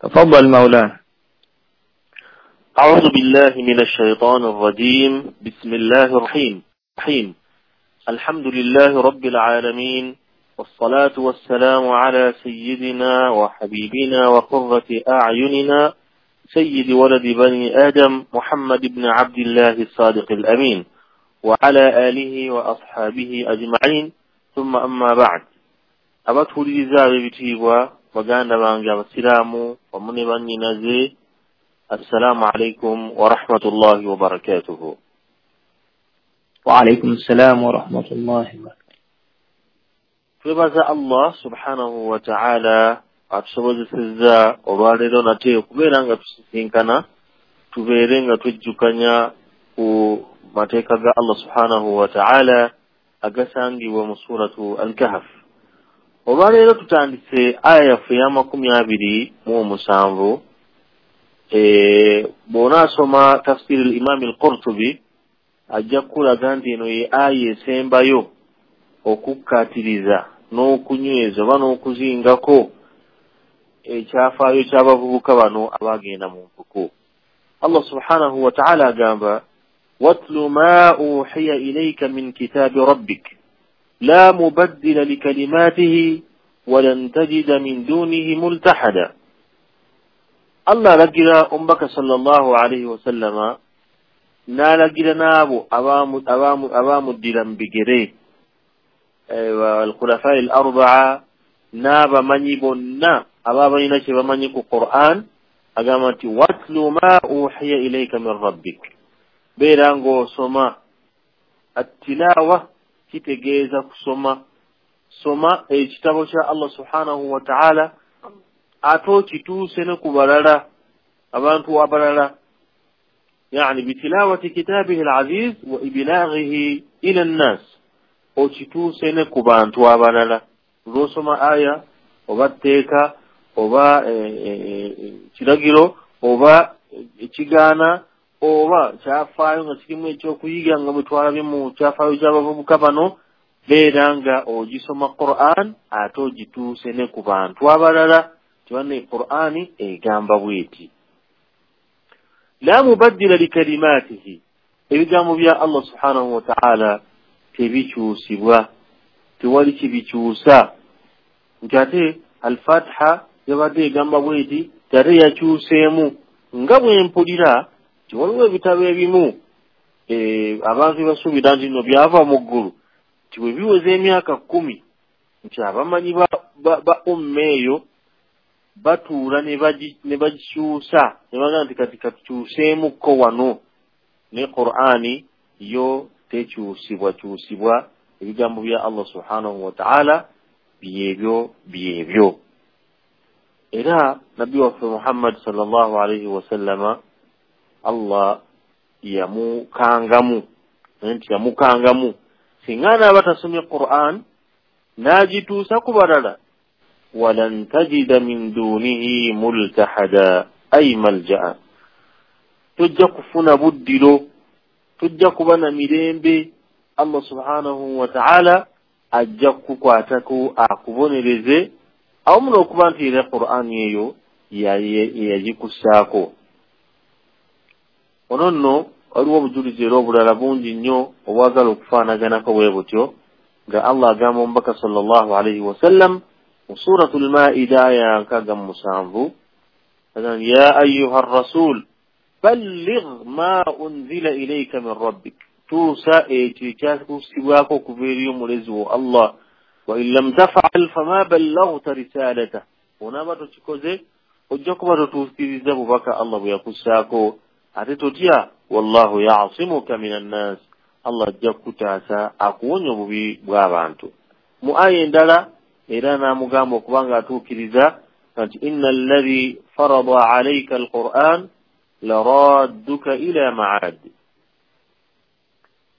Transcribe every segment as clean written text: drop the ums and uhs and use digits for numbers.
تفضل مولانا. أعوذ بالله من الشيطان الرجيم. بسم الله الرحيم الرحيم. الحمد لله رب العالمين، والصلاة والسلام على سيدنا وحبيبنا وقرة أعيننا سيد ولد بني آدم محمد بن عبد الله الصادق الأمين، وعلى آله وأصحابه أجمعين، ثم أما بعد. Abatuwuliriza ab'ebitiibwa, baganda bange abasiraamu wamu ne bannyinaze, assalaamu alaikum warahmatullahi wabarakatuhu. Waalaikum ssalaamu warahmatullahi wabarakatuh. Twebaza Allah subhanahu wa ta'ala atusobozesezza olwaleero nate okubeera nga tusisinkana, tubeere nga twejjukanya ku mateeka ga Allah subhanahu wa ta'ala agasangibwa mu suratu Al-Kahf. Olwaleero tutandise aya yaffe eya 27. Bw'onaasoma tafsiri al-Imam al-Qurtubi ajja kukulaga nti eno ye aya esembayo okukkaatiriza n'okunyweza oba n'okuzingako ekyafaayo ky'abavubuka bano abagenda mu mpuku. Allah subhanahu wa ta'ala agamba: واتل ما أوحي إليك من كتاب ربك لا مبدل لكلماته ولن تجد من دونه ملتحدا. Allah alagira omubaka sallallahu alaihi wasallama n'alagira n'abo abamuddira mu bigere, alkhulafai al arbaa, n'abamanyi bonna ababa balina kye bamanyi ku Quran. Agamba nti: واتل ما أوحي إليك من ربك, beera ng'osoma. Attilawa kitegeeza kusoma. Soma ekitabo kya Allah subhanahu wa ta'ala, ate okituuse ne ku balala, abantu abalala, يعني بتلاوة كتابه العزيز وإبلاغه إلى الناس. Okituuse ne ku bantu abalala. Lwosoma aya oba tteeka oba kiragiro oba ekigaana oba kyafaayo nga kirimu ekyokuyiga, nga bwe twalabye mu kyafaayo ky'abavubuka bano, beera nga ogisoma Quran ate ogituuse ne ku bantu abalala. Tibanne Qur'ani egamba bweti: لا مبدل لكلماته, ebigambo bya Allah subhanahu wa ta'ala tebikyusibwa, tewali kibikyusa. Nti ate Alfatiha yabadde egamba bweti, ate yakyuseemu. Nga bwe mpulira nti waliwo ebitabo ebimu abantu basuubira nti no byava mu ggulu, nti bwe biweza emyaka 10 nti abamanyi ba umma eyo batuula ne bagikyusa, ne bagamba nti kati katukyuseemukko wano. Ne Qur'ani yo tekyusibwa kyusibwa. Ebigambo bya Allah subhanahu wa ta'ala byebyo byebyo. Era nabbi waffe Muhammad sallallahu alaihi wasallama, Allah yamukangamu nti, yamukangamu singa anaaba tasomye Quran n'agituusa ku balala, ولن تجد من دونه ملتحدا أي ملجأ, tojja kufuna buddiro, tojja kuba na mirembe. Allah subhanahu wa ta'ala ajja kukukwatako akubonereze, awamu n'okuba nti era Qur'ani eyo yagikussaako. Ono nno waliwo obujulizi era obulala bungi nnyo obwagala okufaanaganako bwe butyo, nga Allah agamba omubaka sallallahu alaihi wasallam mu suratu Lmaida aya 67: يا أيها الرسول بلغ ما أنزل إليك من ربك, tuusa ekyo ekyakusibwako okuva eri omulezi wo Allah. وإن لم تفعل فما بلغت رسالته, onaaba tokikoze ojja kuba totuukiriza bubaka Allah bwe yakussaako. Ate totya, والله يعصمك من الناس, Allah ajja kukutaasa akuwonya obubi bw'abantu. Mu aya endala era n'amugamba okuba nga atuukiriza nti: إن الذي فرض عليك القرآن لرادك إلى معاد,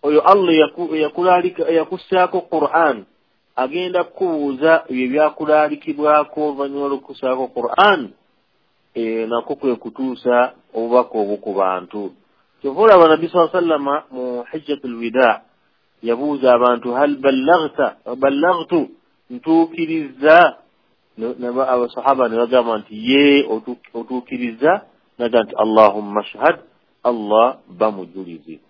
oyo Allah eyakussaako Quran agenda kukubuuza ebyo byakulaalikibwako oluvannyuma lw'okukussaako Quran, nakwo kwe kutuusa obubaka obwo ku bantu. Kyova olaba nabbi saa sallama mu hijjatu lwida yabuuza abantu: هل بلغت؟ بلغت, ntuukirizza? Abasahaba ne bagamba nti ye otuukiriza, naga nti Allahumma shhad, Allah bamujulize.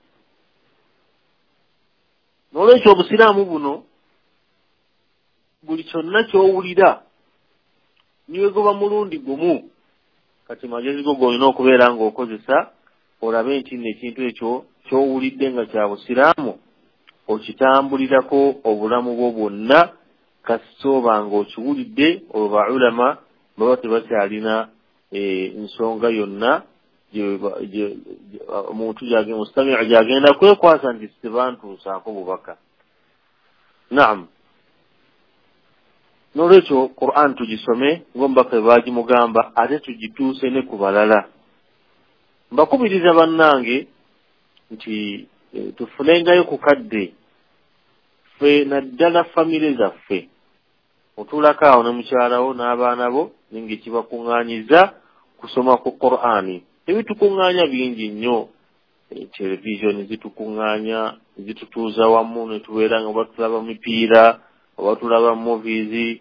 N'olwekyo obusiraamu buno buli kyonna ky'owulira niwegoba mulundi gumu, kati magezi go g'olina okubeera ng'okozesa olabe nti nno ekintu ekyo ky'owulidde nga kya busiraamu okitambulirako obulamu bwo bwonna, kasita oba ng'okiwulidde. Olwo ba ulama baba tebakyalina ensonga yonna omuntu mustamiu gy'agenda kwekwasa nti tebantuusaako bubaka. Naam, n'olwekyo Qur'an tugisome ng'omubaka bwe baagimugamba, ate tugituuse ne ku balala. Mbakubiriza bannange nti tufunengayo ku kadde ffe, naddala famire zaffe. Otuulako awo ne mukyalawo n'abaana bo, ninga ekibakuŋŋaanyiza kusoma ku Qur'ani. Ebitukuŋŋaanya bingi nnyo, televisioni zitukuŋŋaanya, zitutuuza wamu ne tubeera nga oba tulaba mipiira oba tulaba movies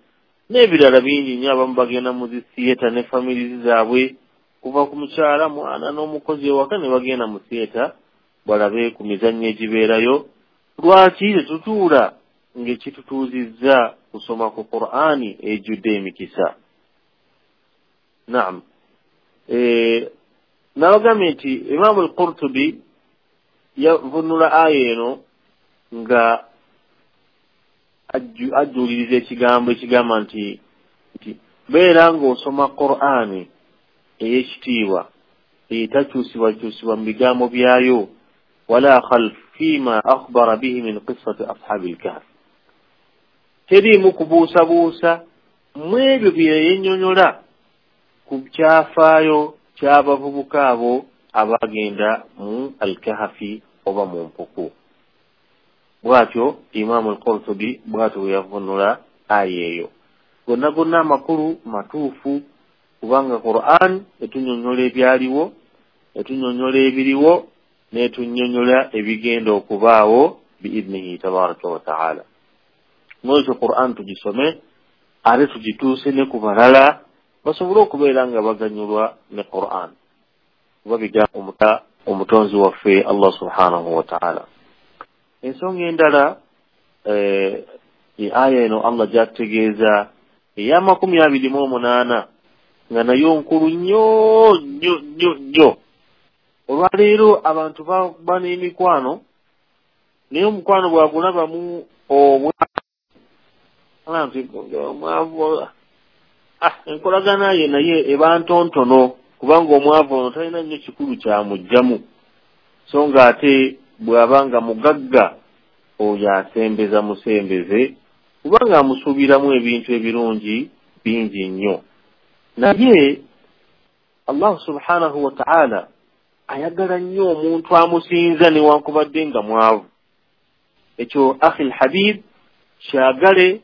n'ebirala bingi nnyo. Abamu bagenda mu zi theatre ne families zaabwe, kuva ku mukyala, mwana n'omukozi ewaka ne bagenda mu theatre balabe ku mizannyo egibeerayo. Lwaki tetutuula ng'ekitutuuzizza kusoma ku Qur'ani ejjudde emikisa? Naam, nabagambye nti Imaamu al-Qurtubi yavunula aya eno nga ajjuuliriza ekigambo ekigamba nti beera ng'osoma Qur'ani ey'ekitiibwa etakyusibwakyusibwa mu bigambo byayo, wala khalf fima akhbara bihi min qissati ashabi al-kahf. Teriimu kubuusabuusa mu ebyo bye yennyonnyola ku kyafaayo ky'abavubuka abo abagenda mu al-kahfi oba mu mpuku. Bw'atyo Imaamu al-Qurtubi bw'atyo bwe yavunula aya eyo. Gonna gonna amakulu matuufu, kubanga Qur'an etunnyonnyola ebyaliwo, etunnyonnyola ebiriwo, n'etunnyonnyola ebigenda okubaawo biidnihi tabaraka wa taala. N'olwekyo Qur'an tugisome ate tugituuse ne ku balala basobole okubeera nga baganyulwa ne Qur'an, kuba bigambo omutonzi waffe Allah subhanahu wa taala. Ensonga endala aya eno Allah gy'atutegeeza eya 28 nga nayo nkulu nnyo nnyo nnyo nnyo. Olwaleero abantu baba n'emikwano, naye omukwano bw'agulabamu omwavu, enkolagana ye naye eba ntontono, kubanga omwavu ono talina nnyo kikulu kyamugjamu, so nga ate bw'aba nga mugagga oyo asembeza musembeze, kubanga amusuubiramu ebintu ebirungi bingi nnyo. Naye Allah subhanahu wa ta'ala ayagala nnyo omuntu amusinza newankubadde nga mwavu. Ekyo akhi lhabib, kyagale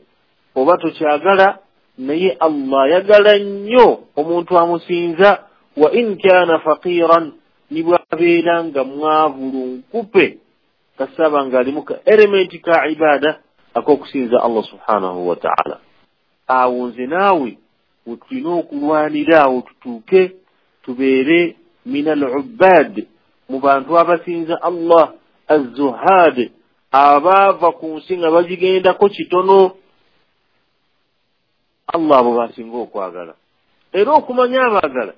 oba tokyagala, naye Allah ayagala nnyo omuntu amusinza, wa in kana faqiran, ni bw'abeera nga mwavu lunkupe, kasaba ng'alimu ka elementi ka ibada ak'okusinza Allah subhanahu wa ta'ala. Awo nze naawe wetulina okulwanira awo tutuuke tubeere min al-ubbad, mu bantu abasinza Allah, az-zuhad, abaava ku nsi nga bagigendako kitono. Allah abo basinga okwagala. Era okumanya abaagala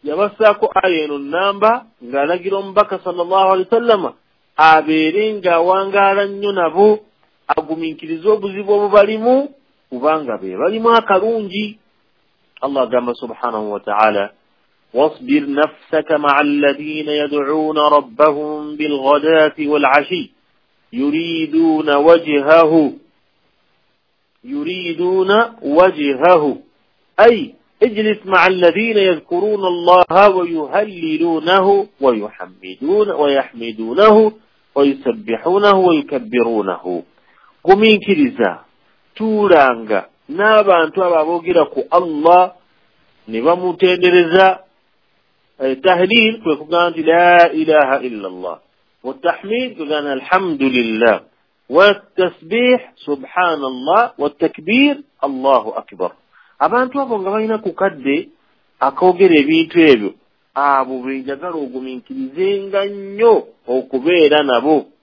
yabassaako aya eno namba ng'alagira omubaka sallallahu alaihi wasallama abeere ng'awangaala nnyo nabo, agumiikirize obuzibu obubalimu, kubanga be balimu akalungi. Allah agamba subhanahu wa ta'ala, wasbir nafsaka ma'a alladhina yad'una rabbahum bilghadati wal'ashi yuriduna wajhahu, yuriduna wajhahu, ay اجلس مع الذين يذكرون الله ويهللونه ويحمدون ويحمدونه ويسبحونه ويكبرونه. Gumiikiriza, tuulanga n'abantu abo aboogera ku Allah ne bamutendereza. Tahlil kwe kugamba nti la ilaha illa Allah, watahmid kugamba alhamdulillah, watasbih subhanallah, watakbir Allahu akbar. Abantu abo nga balina ku kadde akoogera ebintu ebyo, abo benjagala ogumiikirizenga nnyo okubeera nabo.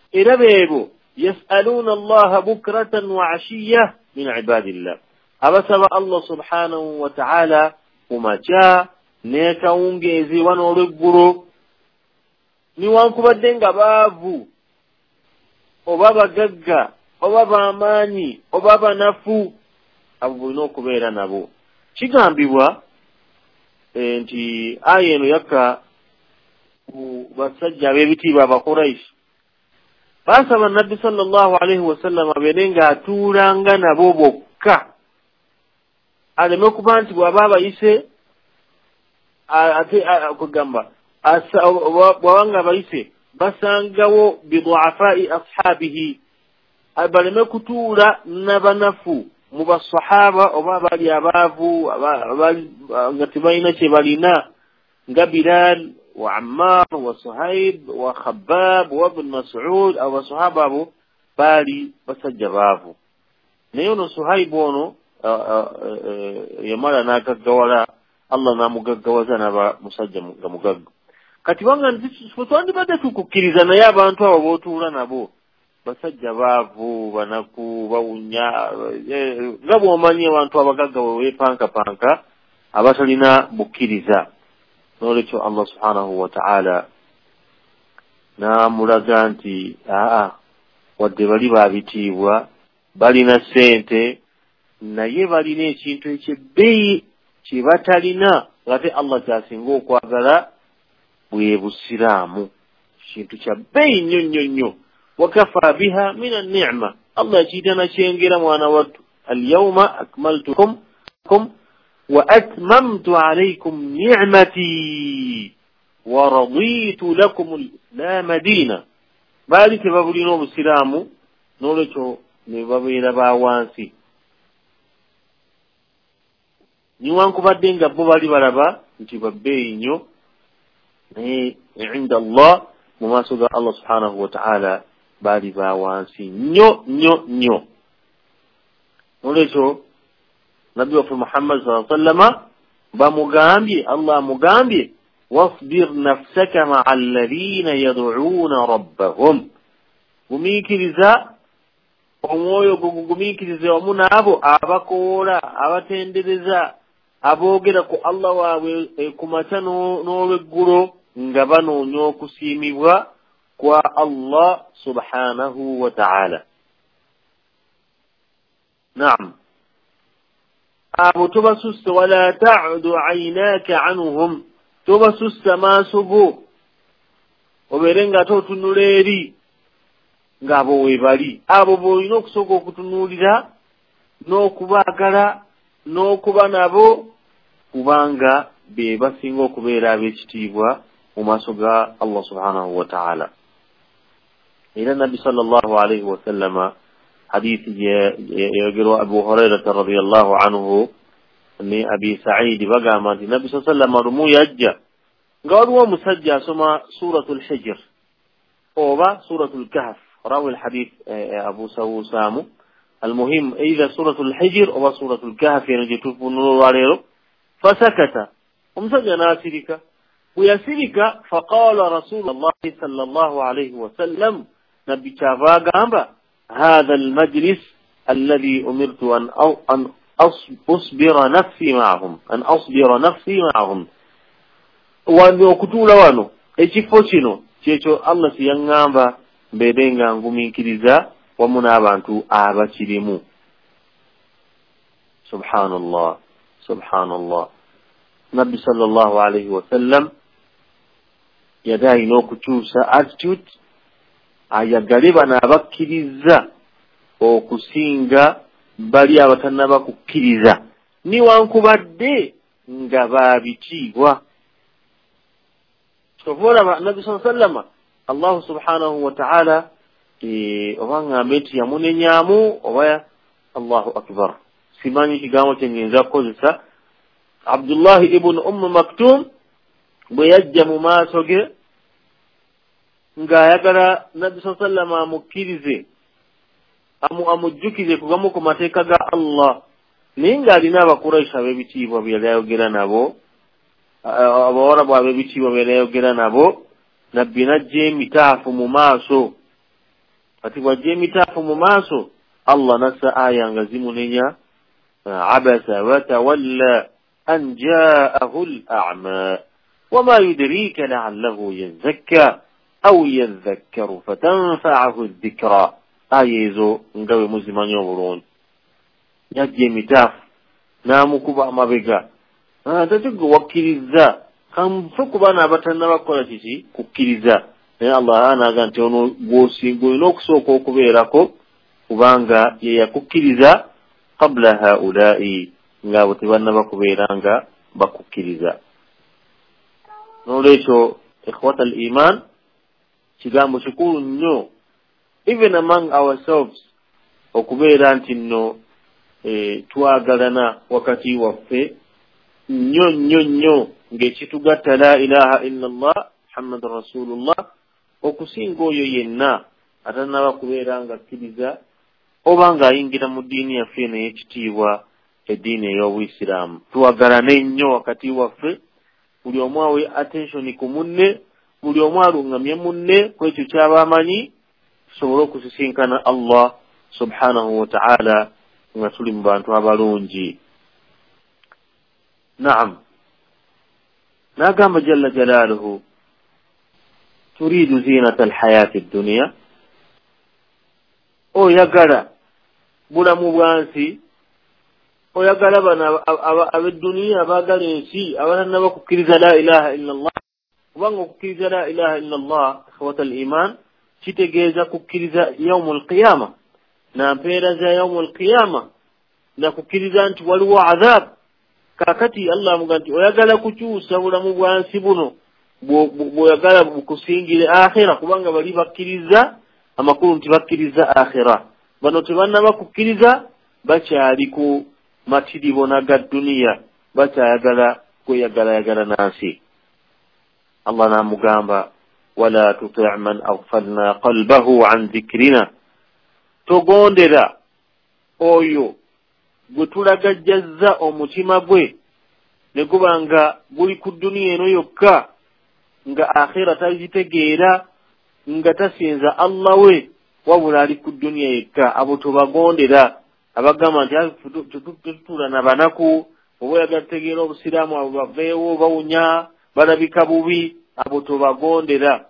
Era beebo yasaluuna Allaha bukratan wa ashiya min ibadillah, abasaba Allah subhanahu wa ta'ala ku makya n'ekawungeezi oba n'olweggulo, niwankubadde nga baavu oba bagagga oba bamaanyi oba banafu, abo bulina okubeera nabo. Kigambibwa nti aya eno yakka ku basajja ab'ebitiibwa Abakuraishi. Baasaba Nabbi sallallahu alaihi wasallam abeere ng'atuulanga nabo bokka, aleme kuba nti bw'aba abayise ate kugamba bw'aba nga abayise basangawo biduafai ashabihi, baleme kutuula n'abanafu mu basahaba oba abali abaavu nga tebalina kye balina, nga Bilal wa Ammar wa Suhaib wa Khabbab wa Ibn Mas'ud. Abo basahaba abo baali basajja baavu, naye ono Suhaib ono yamala n'agaggawala, Allah n'amugaggawaza n'aba musajja nga mugagga. Kati banga nti twandibadde tukukkiriza, naye abantu abo b'otuula nabo basajja baavu, banaku, bawunya, nga bw'omanyi abantu abagagga bwe beepankapanka abatalina bukkiriza. N'olwekyo Allah subhanahu wa ta'ala n'amulaga nti aa, wadde bali baabitiibwa, balina ssente, naye balina ekintu ekyebbeeyi kye batalina, ng'ate Allah ky'asinga okwagala bwe busiraamu. Kintu kya bbeeyi nnyo nnyo nnyo. Wakafa biha min an-ni'ma, Allah yakiyita nakyengera mwana wattu. Alyawma akmaltukum wa atmamtu alaykum ni'mati wa raditu lakum al-islaama diina. Baali tebabulina obusiraamu, n'olwekyo ne babeera ba wansi, niwankubadde nga bo bali balaba nti babbeeyi nnyo, naye inda Allah, mu maaso ga Allah subhanahu wa ta'ala, baali ba wansi nnyo nnyo nnyo. N'olwekyo Nabbi waffe Muhammad sallallahu alaihi wasallama bamugambye, Allah amugambye, wasbir nafsaka ma'a alladhina yad'uuna rabbahum, gumiikiriza omwoyo gwo, gugumiikirize wamu n'abo abakoola, abatendereza, aboogera ku Allah waabwe ku makya n'olweggulo, nga banoonya okusiimibwa kwa Allah subhanahu wa ta'ala. Naam, abo tobasusse, wala ta'udu aynaka anhum, tobasussa maaso go, obeere nga ate otunula eri ng'abo we bali. Abo b'olina okusooka okutunuulira n'okubaagala n'okuba nabo, kubanga be basinga okubeera ab'ekitiibwa mu maaso ga Allah subhanahu wa ta'ala. Era Nabbi sallallahu alaihi wasallama, hadithi yayogerwa Abu Hurairata radiyallahu anhu ne Abi Sa'id, bagamba nti Nabbi sallallahu alaihi wasallama lumu yajja nga waliwo omusajja asoma Suratul Hijr oba Suratul Kahf, rawi alhadith Abu Sawusamu. Almuhim, either Suratul Hijr oba Suratul Kahf, eno gye tufunula olwaleero. Fasakata, omusajja n'asirika. Bwe yasirika, faqala Rasulullahi sallallahu alaihi wasallam, Nabbi kyava agamba, hatha almajlis alladhi umirtu an asbira nafsi ma'ahum, an asbira nafsi ma'ahum. Wano okutuula wano, ekifo kino kyekyo Allah kye yaŋŋamba mbeere nga ngumiikiriza wamu n'abantu abakirimu. Subhanallah, subhanallah. Nabbi sallallahu alaihi wasallam yali alina okukyusa attitude, ayagale bano abakkiriza okusinga bali abatannaba kukkiriza, niwankubadde nga baabitiibwa. Kyova olaba Nabbi sallallahu alaihi wasallama Allahu subhanahu wa ta'ala oba ŋŋambe nti yamunenyamu oba Allahu akbar, simanyi kigambo kye nnyinza kukozesa. Abdullahi ibn Umm Maktum bwe yajja mu maaso ge ng'ayagala Nabbi sallallahu alaihi wasallam amukkirize, amujjukize kugamu ku mateeka ga Allah, Naye ng'alina Abakuraishi ab'ebitiibwa bye yali ayogera nabo, Abawarabu ab'ebitiibwa bye yali ayogera nabo. Nabbi n'ajja emitaafu mu maaso. Kati bw'ajja emitaafu mu maaso, Allah n'assa aya nga zimunenya: abasa watawalla an jaahu al-a'ma wama yudrika la'allahu yazakka aw yadhakkaru fatanfa'ahu dhikra. Aya ezo nga bwe muzimanyi obulungi. Yajja emitaafu n'amukuba amabega, ate gwe wakkiriza, kanfe ku baana abatannaba kukola kiki? Kukkiriza. Naye Allah anaaga nti ono gw'osinga olina okusooka okubeerako, kubanga ye yakukkiriza qabla haulai, ng'abo tebannaba kubeera nga bakukkiriza. N'olwekyo ikhwata al iman, kigambo kikulu nnyo even among ourselves okubeera nti nno twagalana wakati waffe nnyo nnyo nnyo, ng'ekitugatta la ilaha illa Allah Muhammadan rasulullah, okusinga oyo yenna atannaba kubeera nga akkiriza oba ng'ayingira mu ddiini yaffe eno ey'ekitiibwa, eddiini ey'Obuyisiraamu. Twagalane nnyo wakati waffe, buli omu awe attention ku munne, buli omu aluŋŋamye munne ku ekyo ky'aba amanyi, tusobole okusisinkana Allah subhanahu wa ta'ala nga tuli mu bantu abalungi. Naam. N'agamba jalla jalaaluhu, turiidu zinata alhayaati dduniya, oyagala bulamu bwa nsi, oyagala bano ab'edduniya abaagala ensi abatannaba kukkiriza la ilaha illa Allah. Kubanga okukkiriza la ilaha illa Allah, ikhwata al iman, kitegeeza kukkiriza yaumu alqiyama, na mpeera za yaumu alqiyama, na kukkiriza nti waliwo adhab. Kakati Allah amugamba nti oyagala kukyusa bulamu bwa nsi buno bw'oyagala bukusingire akhira, kubanga bali bakkiriza, amakulu nti bakkiriza akhira. Bano tebannaba kukkiriza, bakyali ku matiribona ga dduniya, bakyayagala kweyagalayagala nansi. Allah n'amugamba wala tuti' man aghfalna qalbahu an dhikrina, togondera oyo gwe tulagajjazza omutima gwe ne guba nga guli ku dduniya eno yokka, nga akhira tagitegeera, nga tasinza Allah we, wabula ali ku dduniya yekka. Abo tobagondera, abagamba nti tetutuula na banaku, oba oyagala tutegeera Obusiraamu, abo baveewo bawunya, balabika bubi, abo tobagondera,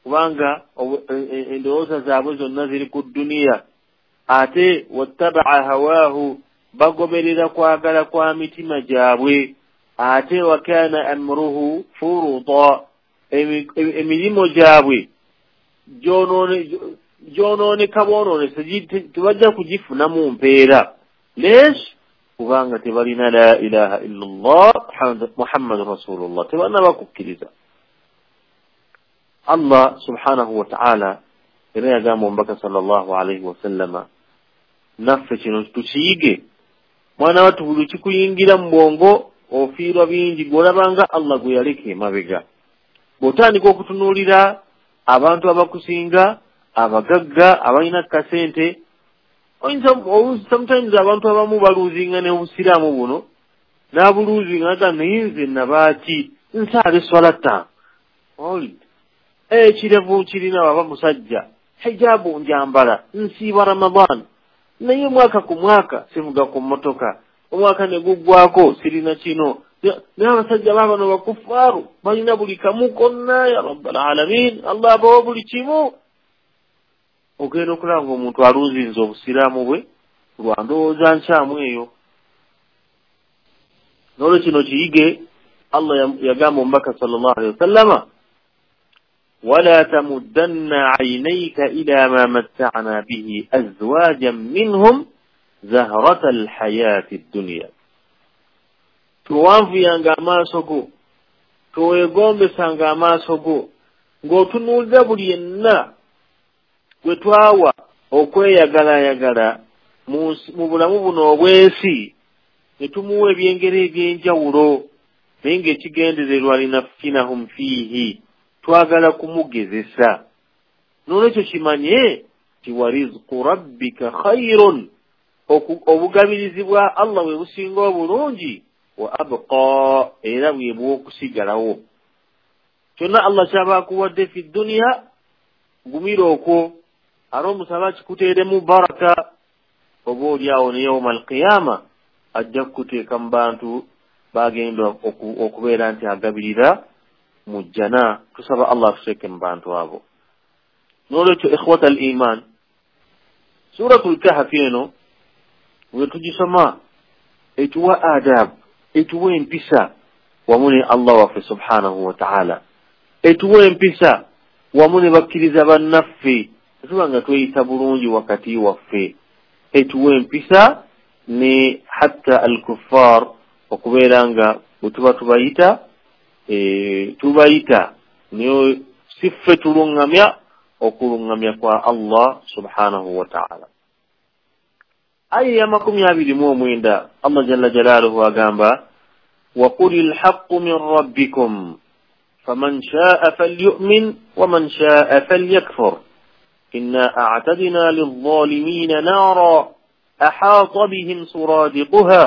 kubanga endowooza zaabwe zonna ziri ku dduniya. Ate wattabaa hawaahu, bagoberera kwagala kwa mitima gyabwe. Ate wakana amruhu furuta, emirimu gyabwe gyonooneka bwonoonese, tebajja kugifunamu mpeera. Lesh, kubanga tebalina la ilaha illa Allah Muhammadun rasulullah, tebannaba kukkiriza. Allah subhanahu wa ta'ala era yagamba omubaka sallallahu alaihi wasallama, naffe kino tukiyige. Mwana wattu, buli kikuyingira mu bwongo ofiirwa bingi, gw'olabanga Allah gwe yaleka emabega. Bw'otandika okutunuulira abantu abakusinga, abagagga, abalina kasente, oyinza sometimes abantu abamu baluuzinga ne Obusiraamu buno, n'abuluuzinga aga, naye nze nabaaki nsaala eswala ttaano, ekirevu kirina, baba musajja, hijabu njambala, nsiiba Ramadan, naye omwaka ku mwaka sivuga ku mmotoka, omwaka ne guggwako sirina kino. Naye abasajja baabano bakufaaru balina buli kamu konna, ya rabbal alamin, Allah abawa buli kimu. Ogenda okulaba ng'omuntu aluuzinze Obusiraamu bwe lwa ndowooza nkyamu eyo. N'olwo kino kiyige. Allah yagamba omubaka sallallahu alaihi wasallama, wala tamuddanna aynayka ila ma matta'na bihi azwajan minhum zahrata alhayati ddunya, towanvuyanga amaaso go, towegombesanga amaaso go ng'otunuulira buli yenna gwe twawa okweyagalayagala mu bulamu buno obw'ensi, ne tumuwa ebyengera eby'enjawulo, naye ng'ekigendererwa linaftinahum fiihi, twagala kumugezesa. N'olwekyo kimanye nti wa rizqu rabbika khairun, Obugabirizi bwa Allah bwe businga obulungi, wa abqa, era bwe bw'okusigalawo. Kyonna Allah kyaba akuwadde fi dduniya, gumira okwo, ate omusaba kikuteeremu baraka, oba oli awo ne yauma alqiyama ajja kukuteeka mu bantu bagenda okubeera nti agabirira mu jjana. Tusaba Allah atuteeke mu bantu abo. N'olwekyo ikhwata al iman, Suratul Kahfi eno bwe tugisoma etuwa adab, etuwa empisa wamu ne Allah waffe subhanahu wa ta'ala, etuwa empisa wamu ne bakkiriza bannaffe, tuba nga tweyisa bulungi wakati waffe, etuwa empisa ne hatta al-kuffar, okubeera nga bwe tuba tubayita tubayita naye si ffe tuluŋŋamya, okuluŋŋamya kwa Allah subhanahu wa ta'ala. Aya ya 29 Allah jalla jalaluhu agamba, وَقُلِ الْحَقُّ مِنْ رَبِّكُمْ فَمَنْ شَاءَ فَلْيُؤْمِنْ وَمَنْ شَاءَ فَلْيَكْفُرْ إِنَّا أَعْتَدْنَا لِلظَّالِمِينَ نَارًا أَحَاطَ بِهِمْ سُرَادِقُهَا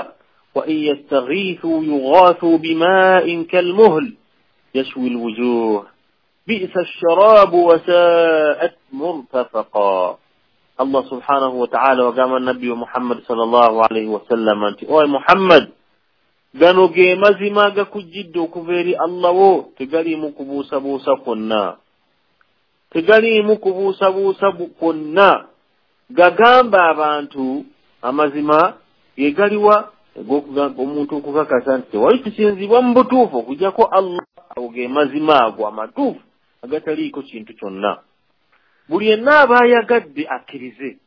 وَإِنْ يَسْتَغِيثُوا يُغَاثُوا بِمَاءٍ كَالْمُهْلِ يَشْوِي الْوُجُوهَ بِئْسَ الشَّرَابُ وَسَاءَتْ مُرْتَفَقًا. Allah subhanahu wa ta'ala wagamba Nabbi Muhammad sallallahu alayhi wa sallam nti, oy Muhammad, gano ge mazima agakujjidde okuva eri Allah wo, tegaliimu kubuusabuusa kwonna, tegaliimu kubuusabuusa kwonna. Gagamba abantu amazima ge galiwa omuntu okukakasa nti tewali kisinzibwa mu butuufu okuggyako Allah. Ago ge mazima ago amatuufu agataliiko kintu kyonna. Buli yenna aba ayagadde akkirize.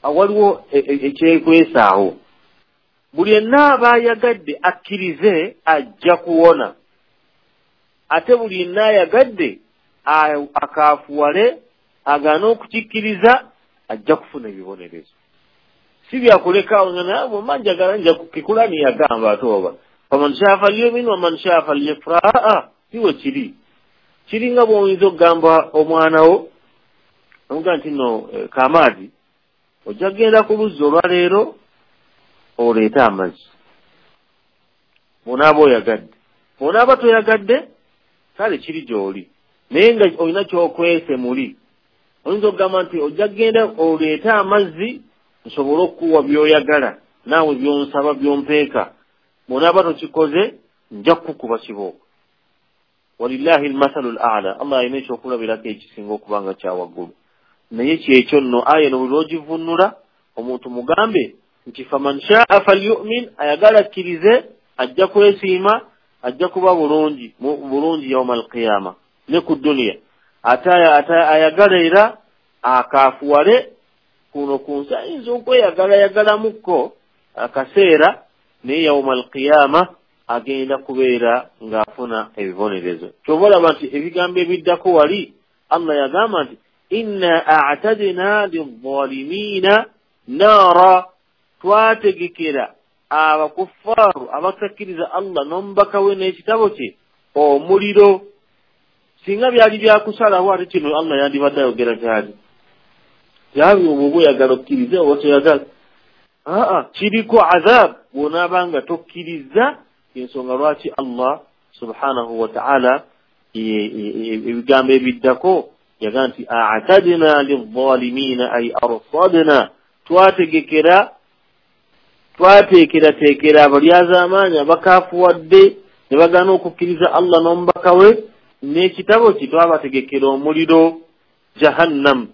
Awaliwo ekyekwesaawo. Buli yenna aba ayagadde akkirize ajja kuwona, ate buli yenna ayagadde akaafuwale agaana okukikkiriza ajja kufuna ebibonerezo. Si byakulekaawo nga naye bwemba njagala nja kukikulani yagamba ate oba faman shaa falyumin waman shaa falyakfur. Aa, si we kiri. Kiringa bw'oyinza okugamba omwana wo omugaa nti nno kamaadi ojja kugenda ku luzzi olwaleero oleete amazzi, bw'onaaba oyagadde, bw'onaaba toyagadde kale kiri gy'oli, naye nga olina ky'okwese muli. Oyinza okugamba nti ojja kugenda oleete amazzi nsobole okukuwa by'oyagala naawe by'onsaba by'ompeeka, bw'onaaba tokikoze nja kukukuba kibooko. Walillahi almathalu al-a'la, Allah alina ekyokulabirako ekisinga okuba nga kya waggulu. Naye kyekyo nno aya eno buli lw'ogivunnula omuntu mugambe nti faman shaa falyu'min, ayagala akkirize ajja kwesiima, ajja kuba bulungi bulungi yauma alqiyama ne ku duniya. Ate ayagala era akaafuwale kuno ku nsi, ayinza okweyagalayagalamukko akaseera, naye yauma alqiyama agenda kubeera ng'afuna ebibonerezo. Ky'oba olaba nti ebigambo ebiddako wali Allah yagamba nti inna a'tadna lizzalimina naara, twategekera abakuffaaru abatakkiriza Allah n'omubaka we n'ekitabo kye omuliro. Singa byali byakusalawo ate kino Allah yandibadde ayogera kyali kyali obwo oyagala okkirize oba toyagala. Aa, kiriko azab bw'onaaba nga tokkiriza. Ensonga lwaki Allah subhanahu wa ta'ala ebigambo ebiddako yaga nti a'tadna lizzalimina ay arsadna, twategekera twateekerateekera abalyazaamaanyi abakaafuwadde ne bagaana okukkiriza Allah n'omubaka we n'ekitabo kye, twabategekera omuliro jahannam.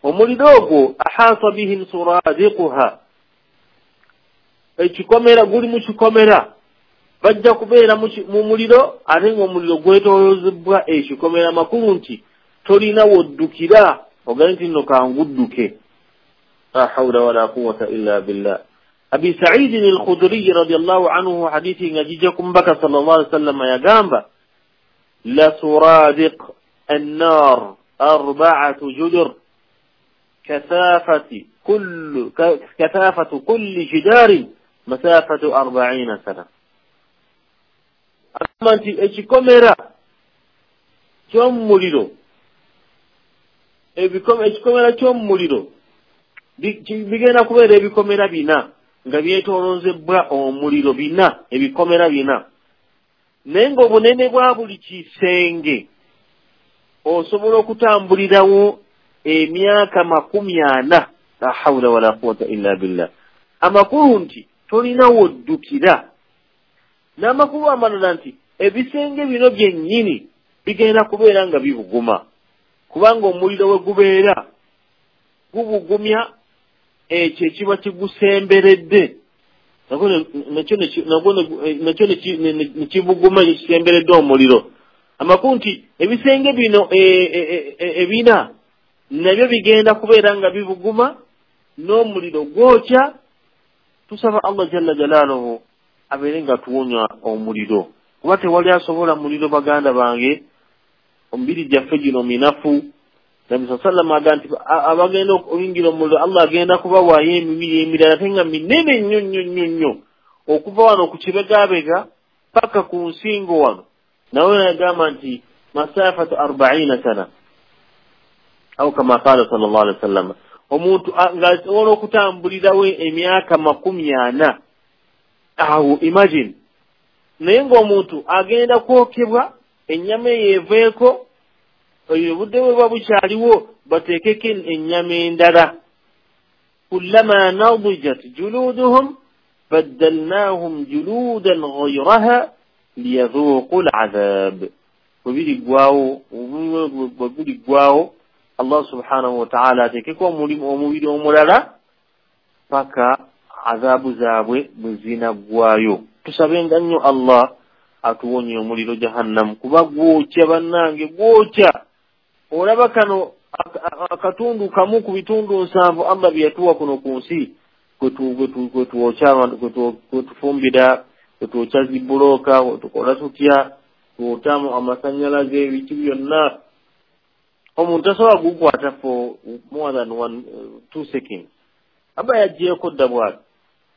Omuliro ogwo ahaata bihim suradiquha, ekikomera guli mu kikomera, bajja kubeera mu muliro ate ng'omuliro gwetooloozebwa ekikomera. Makulu nti tolina woddukira ogambe nti nno kangudduke. La hawla wala quwwata illa billah. Abi Sa'id al-Khudri radiyallahu anhu hadithi nga gijja ku mubaka sallallahu alaihi wasallam yagamba la suradiq an-nar arba'atu judur kathafatu kulli jidarin masafatu 40 sana. Agamba nti ekikomera ky'omuliro, ekikomera ky'omuliro Bigenda kubeera ebikomera bina nga byetoolozebbwa omuliro, bina, ebikomera bina, naye ng'obunene bwa buli kisenge osobola okutambulirawo emyaka 40. La hawla wala quwwata illa billah. Amakulu nti tolina woddukira. N'amakulu amalala nti ebisenge bino byennyini bigenda kubeera nga bibuguma, kubanga omuliro we gubeera gubugumya ekyo ekiba kigusemberedde, nakyo ne kibuguma ekisemberedde omuliro. Amakulu nti ebisenge bino ebina nabyo bigenda kubeera nga bibuguma n'omuliro gwokya. Tusaba Allah jalla jalaaluhu abeere nga tuwonya omuliro, kuba tewali asobola muliro. Baganda bange, omubiri gyaffe gino minafu. Nabbi sallallahu alayhi wasallam agamba nti abagenda okuyingira omuliro Allah agenda kubawaayo emibiri emirala ate nga minene nnyo nnyo nnyo nnyo, okuva wano ku kibegabega paka ku nsingo wano. Nawe yagamba nti masafatu 40 sana au kama qala sallallahu alayhi wasallam, omuntu ng'asobola okutambulirawo emyaka 40. Awo imagine, naye ng'omuntu agenda kwokebwa, ennyama eyo eveeko, obudde bwe buba bukyaliwo bateekeko ennyama endala. Kullama nadijat juluduhum baddalnahum juludan ghayraha liyadhuqu al'adhab. Bwe biriggwawo Allah subhanahu wa ta'ala ateekeko omubiri omulala paka azabu zaabwe bwe zinaggwayo. Tusabenga nnyo Allah atuwonye omuliro jahannam, kuba gwokya bannange, gwokya. Olaba kano akatundu kamu ku bitundu 7 Allah bye yatuwa kuno ku nsi, kwe tuwokya abantu, kwe tufumbira, kwe twokya zibulooka, kwe tukola tutya, twotamu amasannyalaze, ebiki byonna. Omuntu tasobola gukwata for more than 1-2 seconds, aba yaggyeeko dda bw'ati,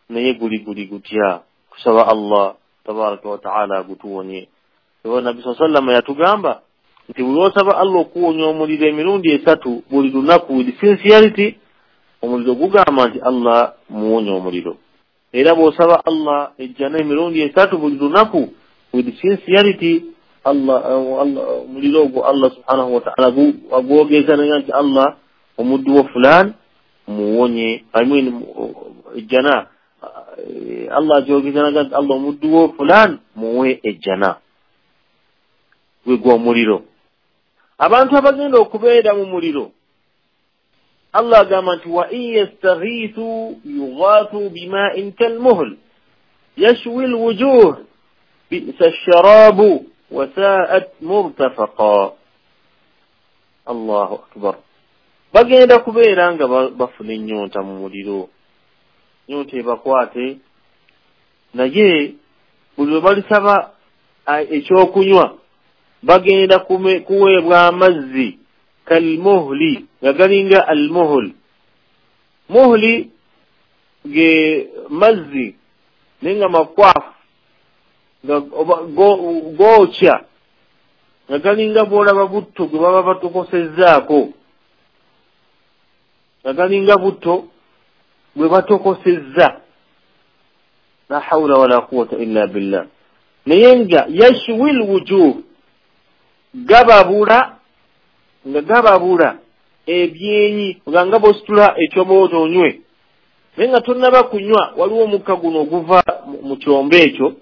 naye guli gutya. Kusaba Allah tabaraka wa ta'ala agutuwonye. Nabbi sallallahu alayhi wasallam yatugamba nti buli lw'osaba Allah okuwonya omuliro emirundi 3 buli lunaku with sincerity, omuliro gugamba nti Allah muwonya omuliro. Era bw'osaba Allah ejjana emirundi 3 buli lunaku with sincerity, Allah omuliro ogwo Allah subhanahu wa ta'ala agwogeza naye nti Allah omuddu wo fulan muwonye, I mean ejjana, Allah agyogeza naye nti Allah omuddu wo fulan muwe ejjana. Gwe omuliro. Abantu abagenda okubeera mu muliro, Allah agamba nti wa in yastaghithu yughathu bima'in kalmuhl yashwi alwujuh bi'sa ash-sharabu wa sa'at murtafaqa. Allahu akbar. Bagenda kubeera nga bafuna ennyonta mu muliro, nnyonta ebakwate, naye buli lwe balisaba ekyokunywa bagenda kuweebwa amazzi kalmuhli, nga galinga almuhl. Muhli ge mazzi naye nga makwafu, nga gookya, nga galinga bw'olaba butto gwe baba batokosezzaako, nga galinga butto gwe batokosezza. La hawla wala quwwata illa billah. Naye nga yashwi alwujuh, gababula, nga gababula ebyenyi, nga bw'ositula ekyombo onywe, naye nga tonnaba kunywa, waliwo omukka guno oguva mu kyombo ekyo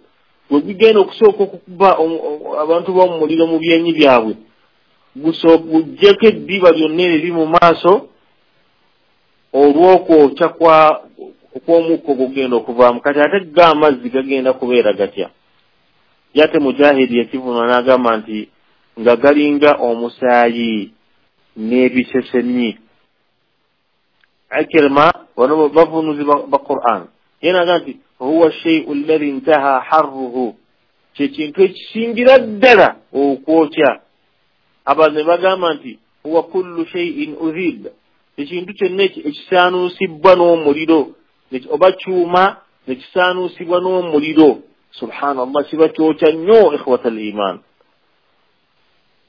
gwe gugenda okusooka okukuba abantu b'omu muliro mu byenyi byabwe, guggyeko eddiba lyonna eriri mu maaso olw'okwokya kw'omukka ogugenda okuvaamu. Kati ate ga amazzi gagenda kubeera gatya? Yate Mujahidi yakivunula n'agamba nti nga galinga omusaayi n'ebisesemyi. Ikrima bano bavunuzi ba Qur'an, ye n'agamba nti huwa shay'u alladhi intaha harruhu, kye kintu ekisingira ddala okwokya. Abalala ne bagamba nti huwa kullu shay'in udhib, ekintu kyonna ekisaanuusibwa n'omuliro, oba kyuma nekisaanuusibwa n'omuliro. Subhanallah, kiba kyokya nnyo ikhwata al-iman.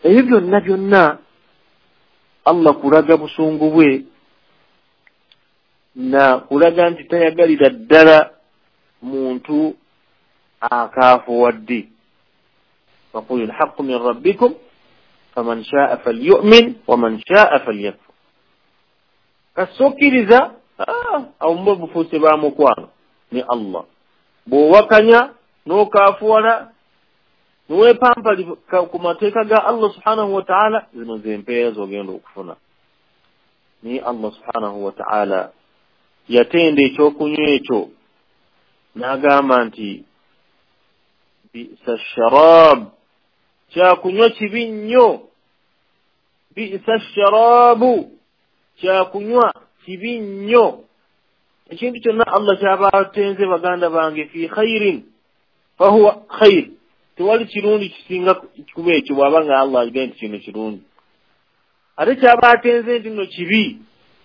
Ebyo byonna byonna Allah kulaga busungu bwe Na kulaga nti tayagalira ddala muntu akaafuwadde. Faqul alhaqqu min rabbikum faman shaa falyu'min waman shaa falyakfur. Kasokkiriza awo muba bufuuse ba mukwano ne Allah. Bw'owakanya n'okaafuwala niweepampa ku mateeka ga Allah subhanahu wa ta'ala, zino zempeera z'ogenda okufuna. Naye Allah subhanahu wa ta'ala yatenda ekyokunywa ekyo n'agamba nti bisa sharab, kyakunywa kibi nnyo. Bisa sharabu, kyakunywa kibi nnyo. Ekintu kyonna Allah kyaba atenze baganda bange, fi khairin fahuwa khair, tewali kirungi kisinga kuba ekyo bw'aba nga Allah agambye nti kino kirungi. Ate kyaba atenze nti nno kibi,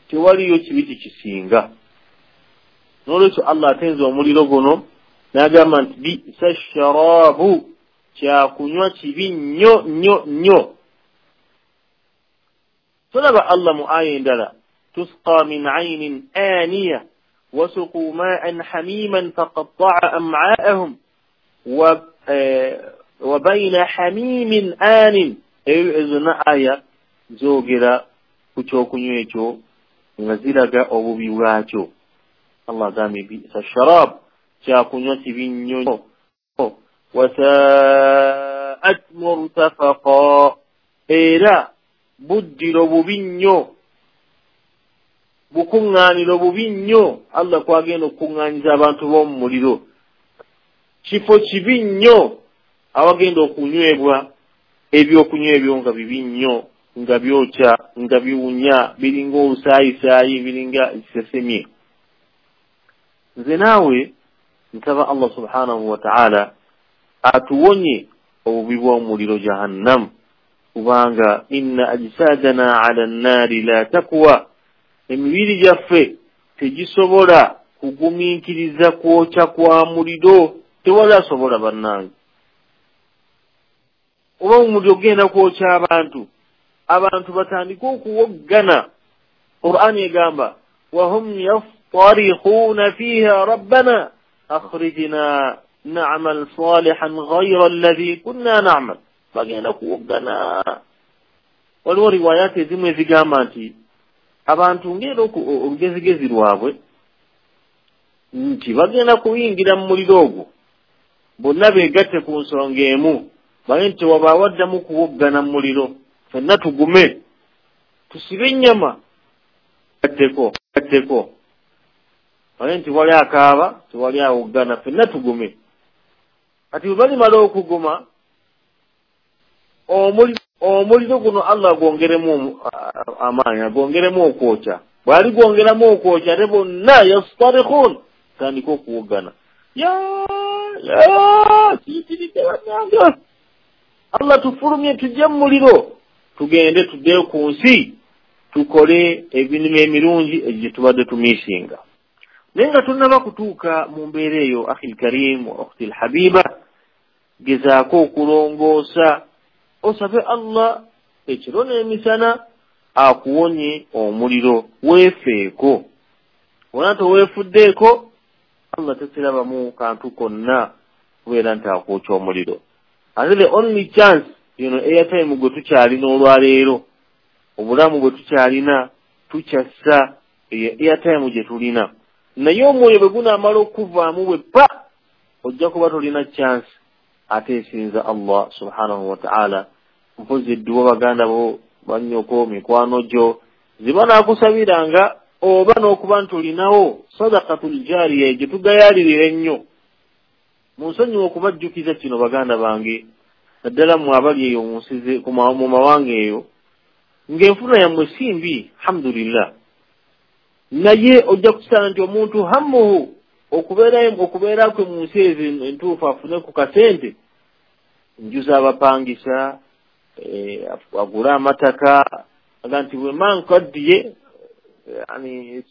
tewaliyo kibi kikisinga. N'olwekyo Allah atenze omuliro guno n'agamba nti bisa sharabu, kyakunywa kibi nnyo nnyo nnyo. Tolaba Allah mu aya endala, tusqa min aynin aniya wasuquu ma'an hamiman faqatta'a am'aahum wa bayna hamimin anin. Ezo zonna aya zoogera ku kyokunywa ekyo nga ziraga obubi bwakyo. Allah agambye bisa sharab, kyakunywa kibi nnyo. Wasaat murtafaqa, era buddiro bubi nnyo, bukuŋŋaaniro bubi nnyo. Allah kwagenda okukuŋŋaanyiza abantu b'omu muliro. Kifo kibi nnyo awagenda okunywebwa ebyokunywa ebyo nga bibi nnyo, nga byokya, nga biwunya, biringa obusaayisaayi, biringa ekisesemye. Nze naawe nsaba Allah subhanahu wa ta'ala atuwonye obubi bw'omuliro Jahannam, kubanga inna ajsadana ala nnaari la takwa, emibiri gyaffe tegisobola kugumiikiriza kwokya kwa muliro. Tewali asobola bannange. Oba omuliro genda kwokya abantu, abantu batandike okuwoggana. Qur'ani egamba wahum yaftarihuna fiha rabbana akhrijna na'mal salihan ghayra alladhi kunna na'mal. Bagenda kuwoggana. Waliwo riwayati ezimu ezigamba nti abantu ngera olugezigezi lwabwe nti bagenda kuyingira mu muliro ogwo bonna beegatte ku nsonga emu, baye nti wabaawo addamu kuwoggana mu muliro, ffenna tugume tusibe ennyama gatteko, baye nti wali akaaba tewali awoggana, ffenna tugume. Kati bwe balimala okuguma omuliro guno Allah agwongeremu amaanyi, agwongeremu okwokya. Bw'ali gwongeramu okwokya ate bonna yastarihun, tandika okuwoggana, ya kiyitiridde bannange, Allah tufulumye tujje mu muliro tugende tuddeyo ku nsi tukole emirimu emirungi egyo tubadde tumiisinga. Naye nga tunnaba kutuuka mu mbeera eyo, akhil karim wa ukhti lhabiba, gezaako okulongoosa, osabe Allah ekiro n'emisana akuwonye omuliro, weefeeko. Wona toweefuddeeko, Allah tekirabamu kantu konna kubeera nti akwokya omuliro. Ate the only chance yino airtime gwe tukyalina olwaleero, obulamu bwe tukyalina tukyassa eyo airtime gye tulina. Naye omwoyo bwe gunaamala okuvaamu bwe pa, ojja kuba tolina chance ate esinza Allah subhanahu wa ta'ala. Mpozi edduwa baganda bo, bannyoko, mikwano gyo ziba naakusabiranga, oba n'okuba nti olinawo sadakatul jariya gye tugayaalirira ennyo. Munsonyiwe okubajjukiza kino baganda bange, naddala mmwe abali eyo mu nsi mu mawanga eyo, ng'enfuna yammwe si mbi alhamdulillah, naye ojja kusanga nti omuntu hammuhu okubeera kwe mu nsi ezo entuufu afune ku kasente, nju z'abapangisa, agule amataka, aga nti bwe mba nkaddiye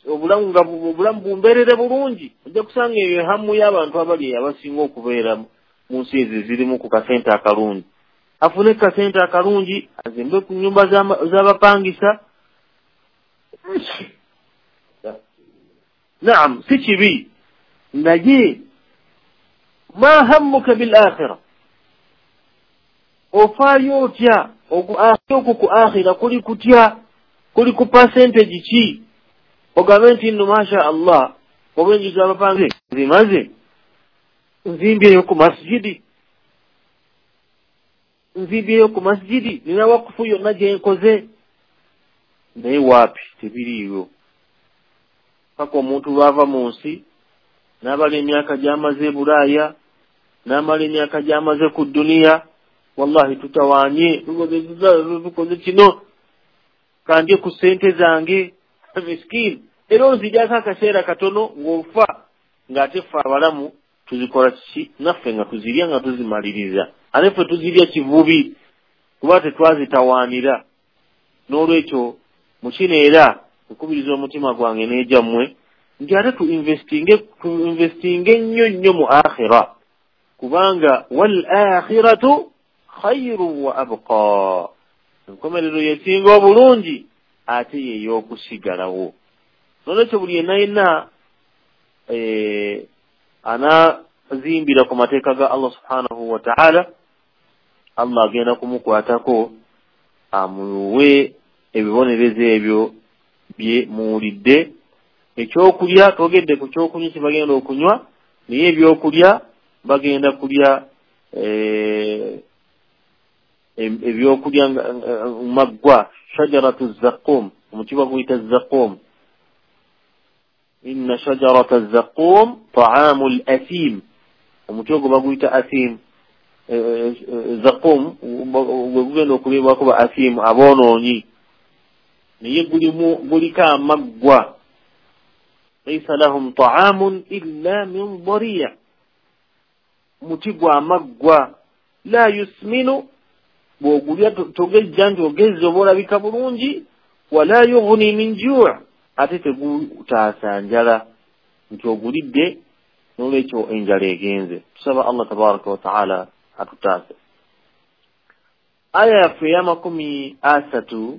obulamu obulamu bumbeerere bulungi. Ojja kusanga eyo hammu y'abantu abali abasinga okubeera mu nsi ezo ezirimu ku kasente akalungi. Afune kasente akalungi, azimbe ku nnyumba z'abapangisa. Naam, si kibi, naye ma hammuka bil akhira, ofaayo otya okwo ku akhira? Kuli kutya? Kuli ku percentage ki? Ogambe nti nno masha Allah, oba enju z'abapange zimaze, nzimbyeyo ku masjidi, nzimbyeyo ku masjidi, nina wakufu yonna gye nkoze. Naye waapi, tebiriiyo. Paka omuntu lwava mu nsi n'abala emyaka gy'amaze e Bulaaya, n'amala emyaka gy'amaze ku duniya, wallahi tutawaanye, tukoze kino, kandye ku ssente zange, miskiini. Era oziryako akaseera katono ng'ofa, ng'ate ffe abalamu tuzikola kiki? Naffe nga tuzirya nga tuzimaliriza, ate ffe tuzirya kivubi kuba tetwazitawaanira. N'olwekyo mu kino era nkubiriza omutima gwange n'egyammwe nti ate tuinvestinge nnyo nnyo mu akhira, kubanga wal akhiratu khairu wa abqa, enkomerero yesinga obulungi ate yey'okusigalawo. Nolwekyo buli yenna yenna anazimbira ku mateeka ga Allah subhanahu wa ta'ala, Allah agenda kumukwatako amuwe ebibonerezo ebyo bye muwulidde. Ekyokulya twogedde ku kyokunywa kye bagenda okunywa, naye ebyokulya bagenda kulya ebyokulya maggwa, shajaratu zaqqum, omuti baguyita zaqqum. Inna shajarata zaqqum ta'amu al-athim, omuti ogwo baguyita athim. Zaqqum gwe gugenda okuliibwako ba athim, aboonoonyi, naye guliko amaggwa. Laysa lahum ta'amun illa min dariya, muti gwa maggwa. La yusminu, bw'ogulya togejja nti ogezza oba olabika bulungi. Wala yughni min ju', ate tegutaasa njala nti ogulidde, n'olwekyo enjala egenze. Tusaba Allah tabaraka wa ta'ala atutaase. Aya yaffe ey'amakumi asatu,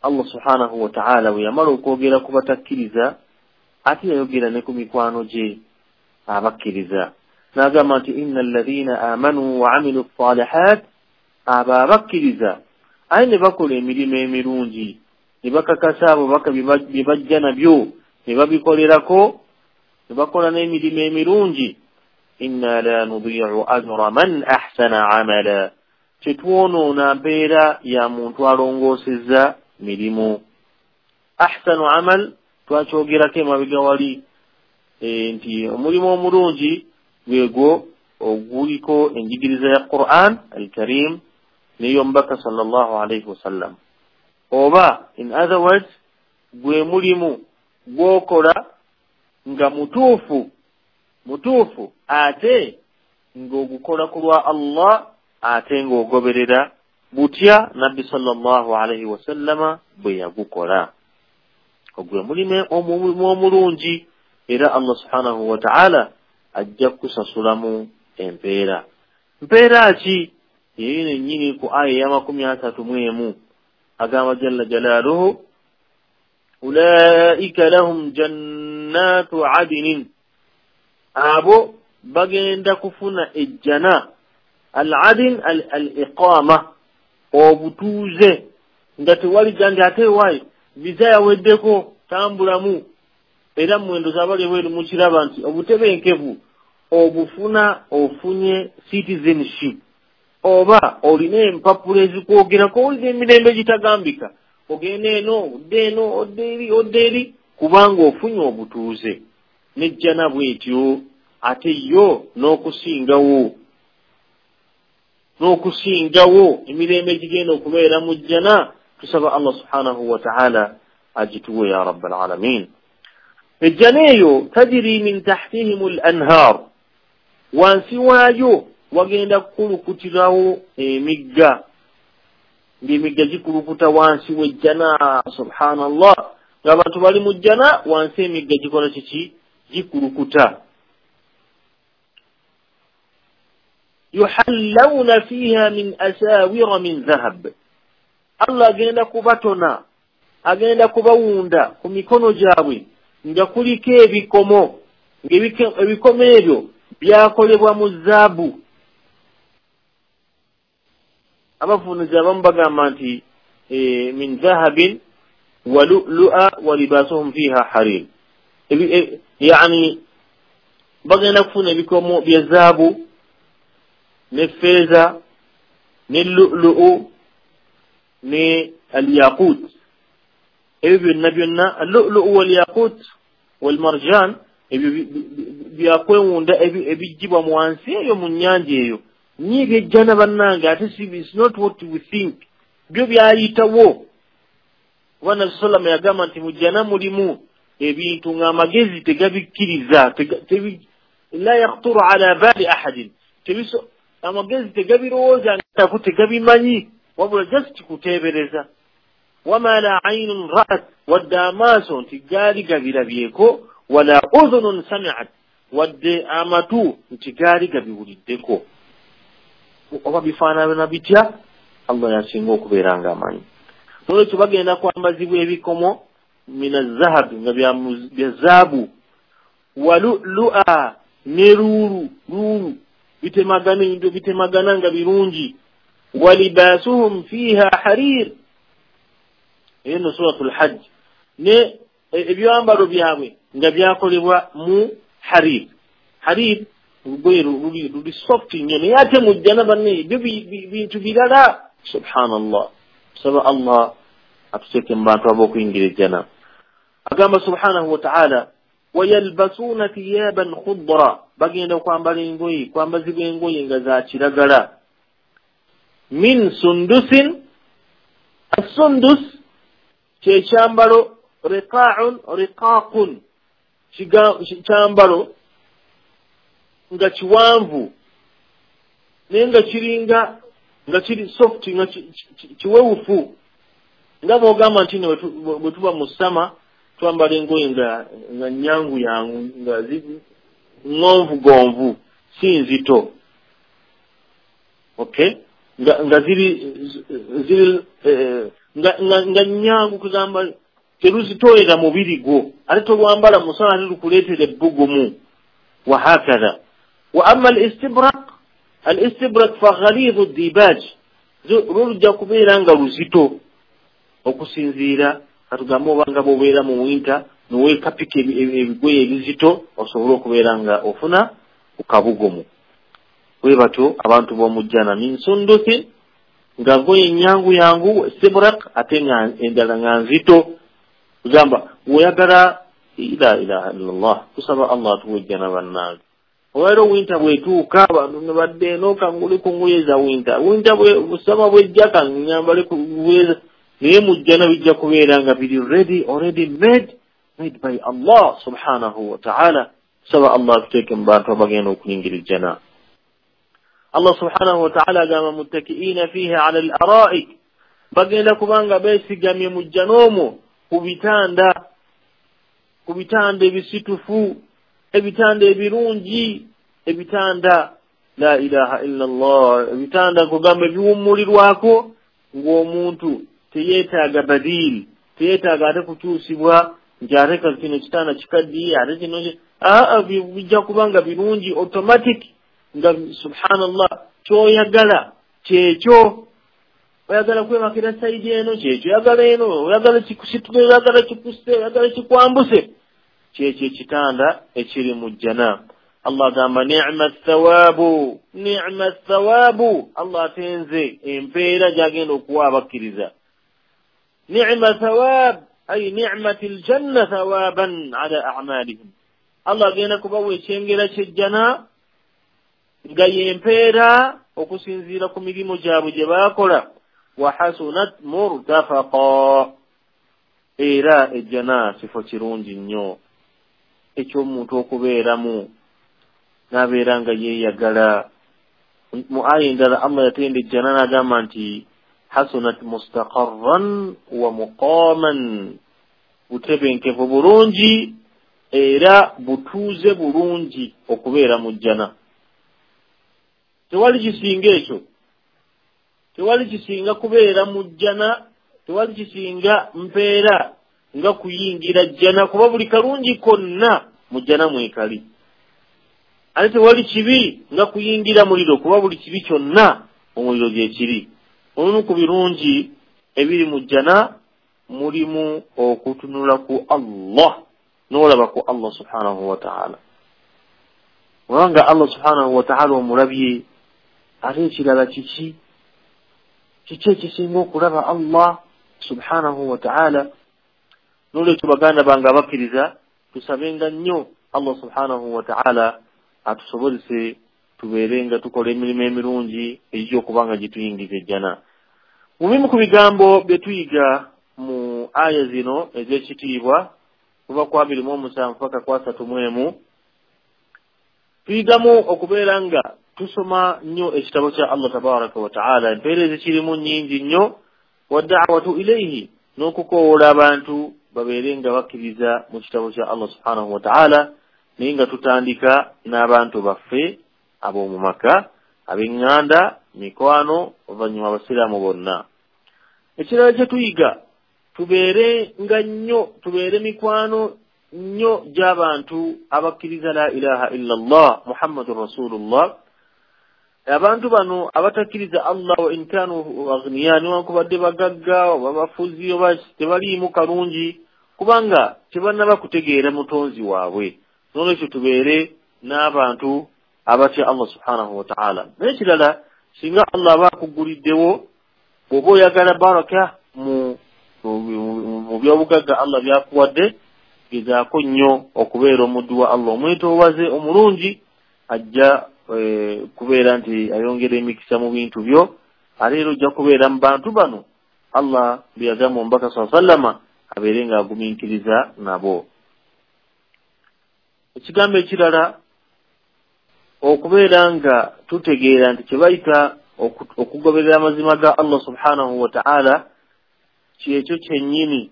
Allah subhanahu wa ta'ala bwe yamala okwogera ku batakkiriza, ate yayogera ne ku mikwano gye abakkiriza, n'agamba nti inna alladhina amanu wa amilu ssalihat, abo abakkiriza aye ne bakola emirimu emirungi, ne bakakasa abo baka bye bajja nabyo ne babikolerako, ne bakola n'emirimu emirungi. Inna la nudii'u ajra man ahsana amala, tetwonoona mpeera ya muntu alongoosezza mirimu. Ahsanu amal twakyogerako emabega wali, nti omulimu omulungi gwegwo oguliko enjigiriza ya Quran al-Karim n'ey'omubaka sallallahu alaihi wasallam, oba in other words gwe mulimu gw'okola nga mutuufu mutuufu, ate ng'ogukola ku lwa Allah, ate ng'ogoberera butya Nabbi sallallahu alaihi wasallama bwe yagukola. Ogwe mulimu omulungi, era Allah subhanahu wa ta'ala ajja kusasulamu empeera. Mpeera ki? Yeyo nennyini ku aya ey'amakumi asatu mu emu agamba jalla jalaaluhu, ulaika lahum jannatu adinin, abo bagenda kufuna ejjana. Al-adin al-iqama, obutuuze, nga tewali gandi ate waayi viza yaweddeko, tambulamu. Era mwendo z'abali ebweru mukiraba nti obutebenkevu obufuna ofunye citizenship, oba olina empapula ezikwogerako, olina emirembe gitagambika, ogenda eno odde eno odde eri odde eri, kubanga ofunye obutuuze. Nejjana bwetyo, ate yo n'okusingawo, n'okusingawo emirembe gigenda okubeera mu jjana. Tusaba Allah subhanahu wa ta'ala agituwe ya rabbal alamin. Ejjana eyo tajiri min tahtihim al-anhar, wansi waayo wagenda kukulukutirawo emigga, ng'emigga gikulukuta wansi w'ejjana. Subhanallah, ng'abantu bali mu jjana, wansi emigga gikola kiki? Gikulukuta. Yuhallawna fiha min asawira min dhahab, Allah agenda kubatona, agenda kubawunda ku mikono gyabwe Nga kuliko ebikomo, ng'ebikomo ebyo byakolebwa mu zaabu. Abavunuzi abamu bagamba nti min dhahabin wa lu'lu'a wa libasuhum fiha harir. Yani bagenda kufuna ebikomo bya zaabu ne feeza ne lu'lu'u ne al-yaqut. Ebyo byonna byonna al-lu'lu'u wal-yaqut wal-marjan, ebyo byakwewunda ebijjibwa mu wansi eyo mu nnyanja eyo. Nye byejjana bannange, ate it's not what we think. Byo byayitawo. Kuba Nabbi sallama yagamba nti mu jjana mulimu ebintu ng'amagezi tegabikkiriza, la yakhturu ala bali ahadin, amagezi tegabirowooza ngako tegabimanyi, wabula just kuteebereza. Wama la aynun ra'at, wadde amaaso nti gaali gabirabyeko, wala udhunun sami'at, wadde amatu nti gaali gabiwuliddeko. Oba bifaanana bitya, Allah yasinga okubeera ng'amanyi. Nolwekyo bagenda kwambazibwa ebikomo min azahab, nga bya zaabu, wa lu'lu'a, ne luulu, luulu bitemagana, ebintu bitemagana nga birungi. Wa libasuhum fiha harir, eyo no suratul hajj. Ne ebyambalo byabwe nga byakolebwa mu harir. Harir lugoye luli soft nnyo, naye ate mu jjana banne ebyo bintu birala. Subhanallah, saba Allah atuteeke mu bantu ab'okuyingira ejjana. Agamba subhanahu wa ta'ala, wayalbasuuna thiyaban khudra, bagenda kwambala engoye, kwambazibwa engoye nga za kiragala. Min sundusin, assundus kyekyambalo, riqa'un riqaqun, kyambalo nga kiwanvu naye nga kiringa nga kiri soft, nga kiwewufu. Nga bw'ogamba nti bwe tuba mu ssama twambala engoye nga nyangu yangu, nga ŋŋonvugonvu, si nzito. Okay, nga ziri nga nyangu, kugamba teruzitoolera mubiri gwo, ate tolwambala musana ate lukuleetera ebbugumu. Wa hakadha. Wa amma al-istibraq, al-istibraq fa ghalidhu dibaj, lujja kubeera nga luzito okusinziira katugambe obanga bw'obeera mu winter noweekapika ebigoye ebizito osobole okubeera nga ofuna ku kabugumu. Bwe batyo abantu b'omu jjana min sundusin, nga ngoye nyangu yangu, istibraq, ate nga endala nga nzito. Kugamba oyagala la ilaha illallah, tusaba Allah atuwe ejjana bannange. Olwaleero winter bw'etuuka abantu ne badde eno kangule ku ngoye za winter, winter busama bwejja kanyambale ku ngoye, naye mu jjana bijja kubeera nga biri ready, already made by Allah subhanahu wa ta'ala. Tusaba Allah atuteeke mu bantu abagenda okuyingira ejjana. Allah subhanahu wa ta'ala agamba muttakiina fiha ala al-araik, bagenda kubanga beesigamye mu jjana omwo ku bitanda, ku bitanda ebisitufu, ebitanda ebirungi, ebitanda la ilaha illa Allah, ebitanda kugamba ebiwummulirwako ng'omuntu teyeetaaga badili, teyeetaaga ate kukyusibwa nti ate kino kitanda kikaddiye, ate kino bijja kubanga birungi automatic, nga subhanallah kyoyagala kyekyo. Oyagala kwebakira sayidi eno kyekyo, oyagala eno, oyagala kikusitule, oyagala kikusse, oyagala kikwambuse, kyekyo ekitanda ekiri mu jjana. Allah agamba ni'ma thawaabu, ni'ma thawaabu. Allah atenze empeera gy'agenda okuwa abakkiriza. Ni'ma thawaab, ay ni'mati ljanna thawaaban ala a'malihim. Allah agenda kubawa ekyengera ky'ejjana nga y'empeera okusinziira ku mirimu gyabwe gye baakola. Wa hasunat murtafaqa, era ejjana kifo kirungi nnyo eky'omuntu okubeeramu n'abeera nga yeeyagala. Mu aya endala Allah yatenda ejjana n'agamba nti hasunat mustaqarran wa muqaman, butebenkevu bulungi era butuuze bulungi okubeera mu jjana. Tewali kisinga ekyo, tewali kisinga kubeera mu jjana, tewali kisinga mpeera nga kuyingira jjana, kuba buli kalungi konna mu jjana mwekali. Ate tewali kibi nga kuyingira muliro, kuba buli kibi kyonna omuliro gye kiri. Olumu ku birungi ebiri mu jjana mulimu okutunula ku Allah, n'olaba ku Allah subhanahu wa ta'ala. Kubanga Allah subhanahu wa ta'ala omulabye, ate ekirala kiki? Kiki ekisinga okulaba Allah subhanahu wa ta'ala? N'olwekyo baganda bange abakkiriza, tusabenga nnyo Allah subhanahu wa ta'ala atusobozese tubeere nga tukola emirimu emirungi egijja okuba nga gituyingiza ejjana. Mu bimu ku bigambo bye tuyiga mu aya zino ez'ekitiibwa, kuva ku 27 paka ku 31, tuyigamu okubeera nga tusoma nnyo ekitabo kya Allah tabaraka wa ta'ala, empeera ezikirimu nnyingi nnyo, wadda'watu ilayhi, n'okukoowoola abantu babeere nga bakkiriza mu kitabo kya Allah subhanahu wa ta'ala, naye nga tutandika n'abantu baffe ab'omu maka, ab'eŋŋanda, mikwano, oluvannyuma abasiraamu bonna. Ekirala kye tuyiga, tubeere nga nnyo, tubeere mikwano nnyo gy'abantu abakkiriza la ilaha illa Allah Muhammadun Rasulullah. Abantu bano abatakkiriza Allah, wa in kanu aghniya, newankubadde bagagga oba bafuzi oba tebaliimu kalungi, kubanga tebannaba kutegeera mutonzi waabwe. N'olwekyo tubeere n'abantu abatya Allah subhanahu wa ta'ala. Naye ekirala, singa Allah aba akuguliddewo, bw'oba oyagala baraka mu byobugagga Allah by'akuwadde, gezaako nnyo okubeera omuddu wa Allah omwetoowaze omulungi, ajja kubeera nti ayongera emikisa mu bintu byo. Ate era ojja kubeera mu bantu bano Allah bye yagamba omubaka sallallahu alaihi wasallama abeere ng'agumiikiriza nabo. Ekigambo ekirala, okubeera nga tutegeera nti kye bayita okugoberera amazima ga Allah subhanahu wa ta'ala kyekyo kyennyini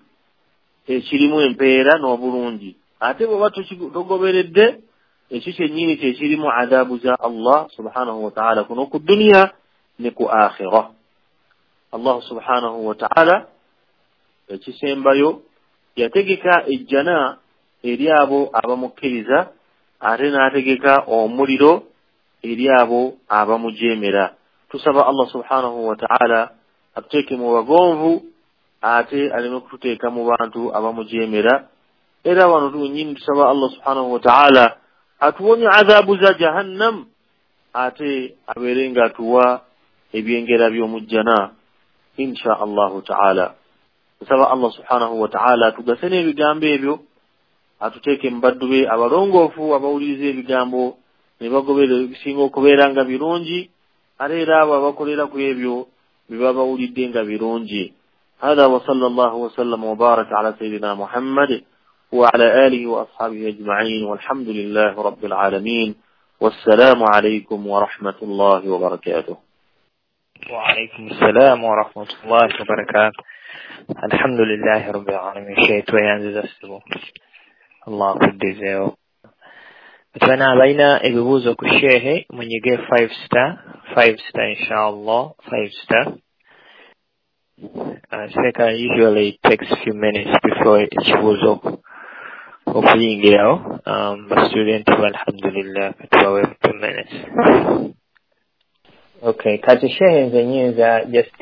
ekirimu empeera n'obulungi. Ate bw'oba togoberedde ekyo kyennyini kyekirimu adaabu za Allah subhanahu wa ta'ala kuno ku duniya ne ku akhira. Allah subhanahu wa ta'ala ekisembayo yategeka ejjana eri abo abamukkiriza, ate n'ategeka omuliro eri abo abamujeemera. Tusaba Allah subhanahu wa ta'ala atuteeke mu bagonvu, ate aleme kututeeka mu bantu abamujeemera. Era wano tunnyini tusaba Allah subhanahu wa ta'ala atuwonye adhabu za jahannam, ate abeere nga atuwa ebyengera by'omujjana insha Allahu ta'ala. Tusaba Allah subhanahu wa ta'ala atugase n'ebigambo ebyo, atuteeke mu baddu be abalongoofu abawuliriza ebigambo ne bagoberera ebisinga okubeera nga birungi, ate era abo abakolera ku ebyo bye babawulidde nga birungi. هذا وصلى الله وسلم وبارك على سيدنا محمد وعلى آله وأصحابه أجمعين، والحمد لله رب العالمين، والسلام عليكم ورحمة الله وبركاته. وعليكم السلام ورحمة الله وبركاته. الحمد لله رب العالمين. شيء tweyanziza ssebo, Allah akuddizeewo. Bana abalina ebibuuzo ku shehe munyige 5 star 5 star inshallah 5 star. Seka usually takes few minutes before ekibuuzo okuyingirawo. Ba student alhamdulillah katubawe 2 minutes. Okay, kati shehe nze nyinza just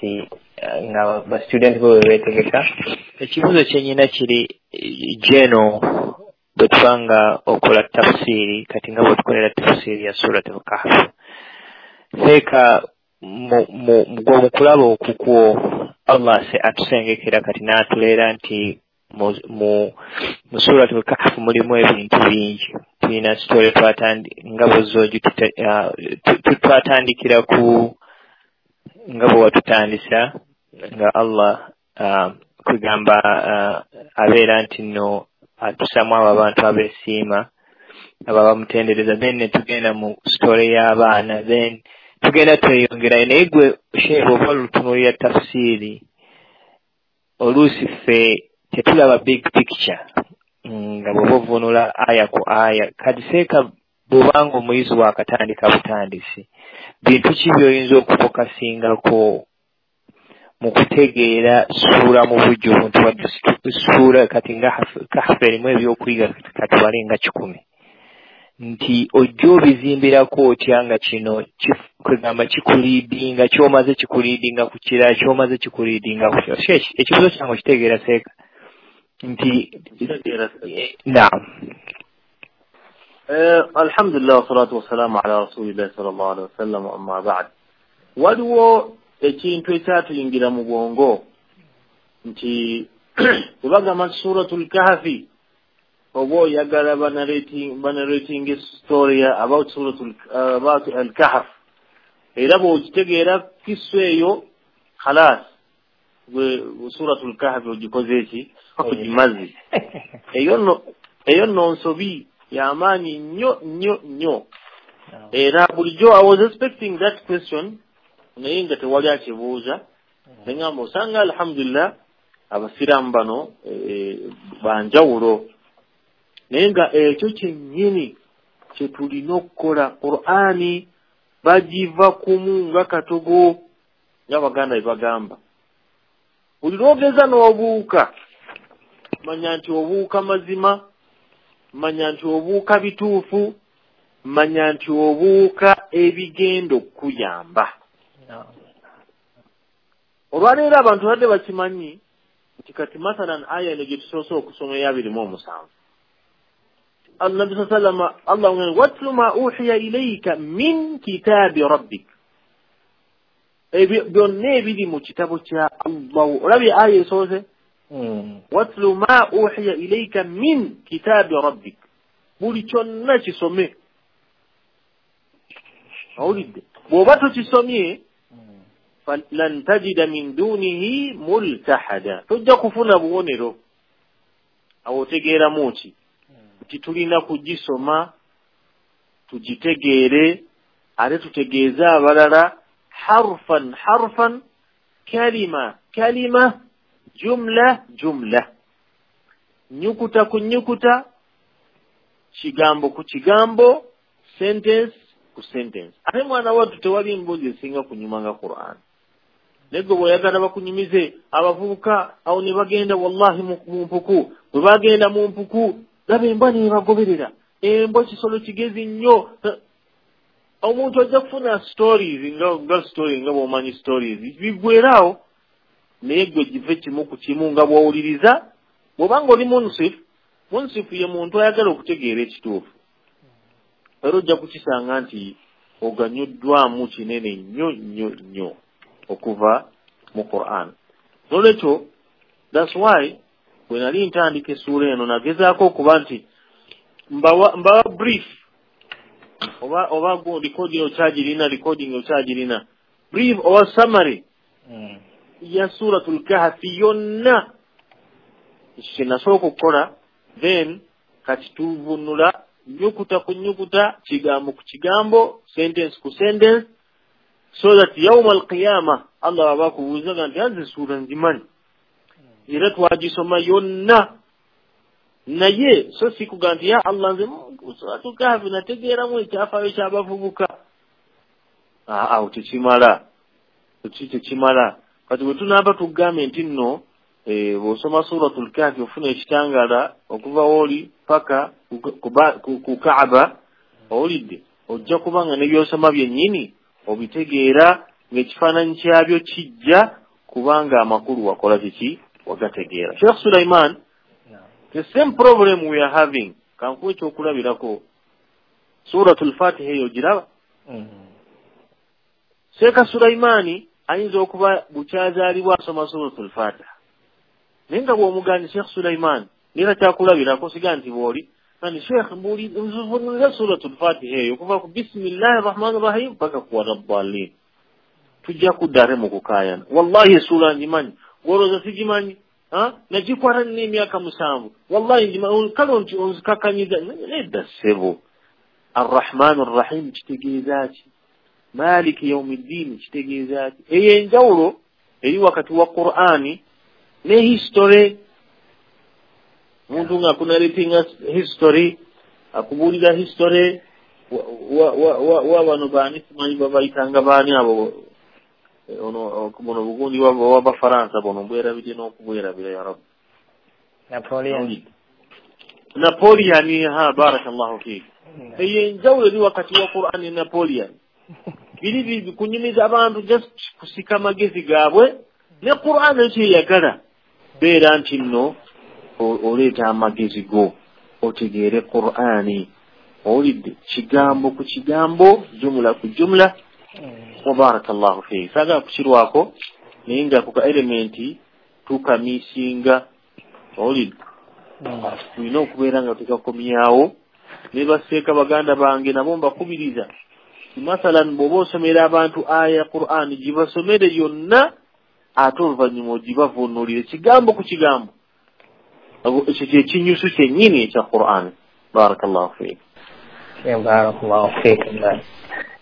nga ba student bo beetegeka. Ekibuuzo kyenyina kiri geno bwe tubanga okola tafsiri, kati nga bwetukolera tafsiri ya Surat al-Kahf. Seeka mu kulaba okukwo Allah atusengekera kati n'atuleera nti mu Surat al-Kahf mulimu ebintu bingi. Tulina story nga bw'ozoogi twatandikira ku nga bwe watutandisa nga Allah kugamba abeera nti nno atusamu abo abantu abeesiima abo abamutendereza, then ne tugenda mu story y'abaana, then tugenda tweyongerayo. Naye gwe shehe bw'oba olutunuulira tafsiiri, oluusi ffe tetulaba big picture nga bw'oba ovvuunula aya ku aya. Kati seeka bw'obanga omuyizi waakatandika butandisi, bintu ki by'oyinza okufokasingako Mu kutegeera ssuula mu bujjuvu nti wadde ssuula kati nga Kahfu erimu ebyokuyiga katubale nga 100, nti ojja obizimbirako otya nga kino kwegamba kikuliidinga, ky'omaze kikuliidinga ku kirala, ky'omaze kikuliidinga ku kirala. Ekibuuzo kyange okitegeera seeka nti naam. Alhamdulillah wassalatu wassalamu ala rasulillahi sallallahu alaihi wasallam, amma ba'd. Waliwo ekintu ekyatuyingira mu bwongo nti bwe bagamba Suratul Kahfi oba oyagala banarating story about Suratul about al-Kahf, era bw'okitegeera kisu eyo khalas gwe Suratul Kahfi ogikoze eki ogimaze. Eyo nno nsobi y'amaanyi nnyo nnyo nnyo. Era bulijjo I was expecting that question, naye nga tewali akibuuza. Nengamba osanga alhamdulillah abasiraamu bano banjawulo, naye nga ekyo kyennyini kye tulina okukola. Qur'ani bagiva kumu nga katogo, ng'Abaganda bwe bagamba. Buli lw'ogeza n'obuuka, manya nti obuuka mazima, manya nti obuuka bituufu, manya nti obuuka ebigenda okukuyamba. Olwaleero abantu badde bakimanyi nti kati mathalan aya eno gye tusoose okusoma eya 27, Annabi sallama Allah ngamba watlu ma uhiya ilayka min kitabi rabbik, ebyo byonna ebiri mu kitabo kya Allah. Olabye aya esoose watlu ma uhiya ilayka min kitabi rabbik, buli kyonna kisome. Owulidde? Bw'oba tokisomye lan tajida min dunihi multahada, tojja kufuna buwonero. Awo otegeeramu ki? Nti tulina kugisoma tugitegeere, ate tutegeeze abalala harfan harfan, kalima kalima, jumla jumla, nyukuta ku nyukuta, kigambo ku kigambo, sentence ku sentence. Ate mwana wattu tewali mboozi esinga kunyuma nga Qur'an. Naye gwe bw'oyagala bakunyumize abavubuka awo ne bagenda wallahi mu mpuku, bwe bagenda mu mpuku laba embwa nebagoberera, embwa kisolo kigezi nnyo. Omuntu ajja kufuna stories nga story nga bw'omanyi stories biggweeraawo, naye gwe give kimu ku kimu nga bw'owuliriza. Bw'obanga oli munsifu, munsifu ye muntu ayagala okutegeera ekituufu, era ojja kukisanga nti oganyuddwamu kinene nnyo nnyo nnyo okuva mu Qur'an. N'olwekyo that's why bwe nali ntandika essuula eno nagezaako okuba nti mbawa brief oba recording okyagirina, recording okyagirina, brief oba summary ya Suratul Kahfi yonna. Ekyo kye nasooka okukola, then kati tuvunula nyukuta ku nyukuta, kigambo ku kigambo, sentence ku sentence, so that yawma alqiyama Allah aba akubuuza nti anze essuula ngimanyi era twagisoma yonna, naye so si kugamba nti ya Allah nze Suratul Kahfi nategeeramu ekyafaayo ky'abavubuka. Awo tekimala, tekimala. Kati bwe tunaaba tugambe nti nno bw'osoma Suratul Kahfi ofuna ekitangaala okuva wooli paka ku Kaaba, owulidde, ojja kuba nga n'ebyosoma byennyini obitegeera ng'ekifaananyi kyabyo kijja kubanga amakulu wakola kiki wagategeera. Sheikh Sulaiman, the same problem we are having, kankuwe ekyokulabirako Suratul Fatiha eyo giraba. Sheikh Sulaimani ayinza okuba bukyazaalibwa asoma Suratul Fatiha, naye nga bw'omugambye Sheikh Sulaiman nera kyakulabirako siga nti bw'oli nani Sheikh nzivunulira Suratul Fatiha eyo okuva ku bismillahi rahmani rahim paka ku waladdallin, tujja kudda mu kukaayana. Wallahi essuula ngimanyi, gw'olowooza sigimanyi, nagikwata nina emyaka 7, wallahi ngimanyi, kale nti onzikakanyiza. Nedda ssebo, arrahmani rrahim kitegeeza ki? Maliki yaumiddini kitegeeza ki? Eyo enjawulo eri wakati wa Qur'ani ne history. Muntu nga akunarratinga history, akubuulira history wa bano baani simanyi babayitanga baani abo Ono buno bugundi w'Abafaransa buno mbwerabidde n'okubwerabira ya Rabbi. Napoleon. Napoleon, ha barakallahu fiik. Eyo enjawulo eri wakati wa Qur'an ne Napoleon. Biri kunyumiza abantu just kusika amagezi gaabwe ne Qur'an ekyeyagala beera nti nno oleeta amagezi go otegeere Qur'ani owulidde kigambo ku kigambo, jumula ku jumula. Wa barakallahu fiik. Saagala kukirwako naye nga ku ka elementi tukamisinga, owulidde tulina okubeera nga tukakomyawo. Ne baseeka baganda bange nabo mbakubiriza, masalan bw'oba osomera abantu aya ya Qur'ani gibasomere yonna ate oluvannyuma ogibavuunulire kigambo ku kigambo. Ekyo kye kinyusu kyennyini ekya Qur'ani. Barakallahu fiik. Barakallahu fiik.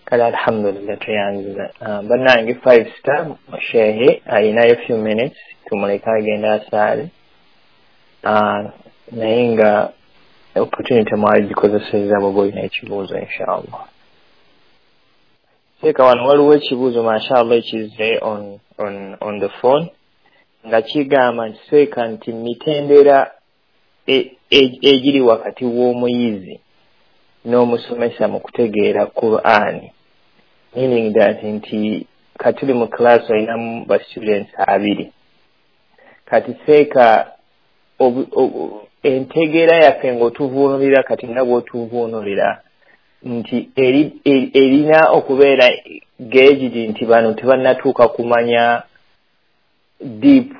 Kale alhamdulillah tuyanziza. Bannange 5 star shehe ayinayo few minutes tumuleke agenda asaale, naye nga opportunity mwagikozesezza bw'oba olina ekibuuzo inshallah. Seeka wano waliwo ekibuuzo mashallah ekizze on the phone nga kigamba nti seeka nti mitendera egiri wakati w'omuyizi n'omusomesa mu kutegeera Qur'ani, meaning that nti katuli mu class olinamu ba students abiri, kati seeka entegeera yaffe ng'otuvuunulira kati nga bw'otuvuunulira nti erina okubeera geegiri nti bano tebannatuuka kumanya deep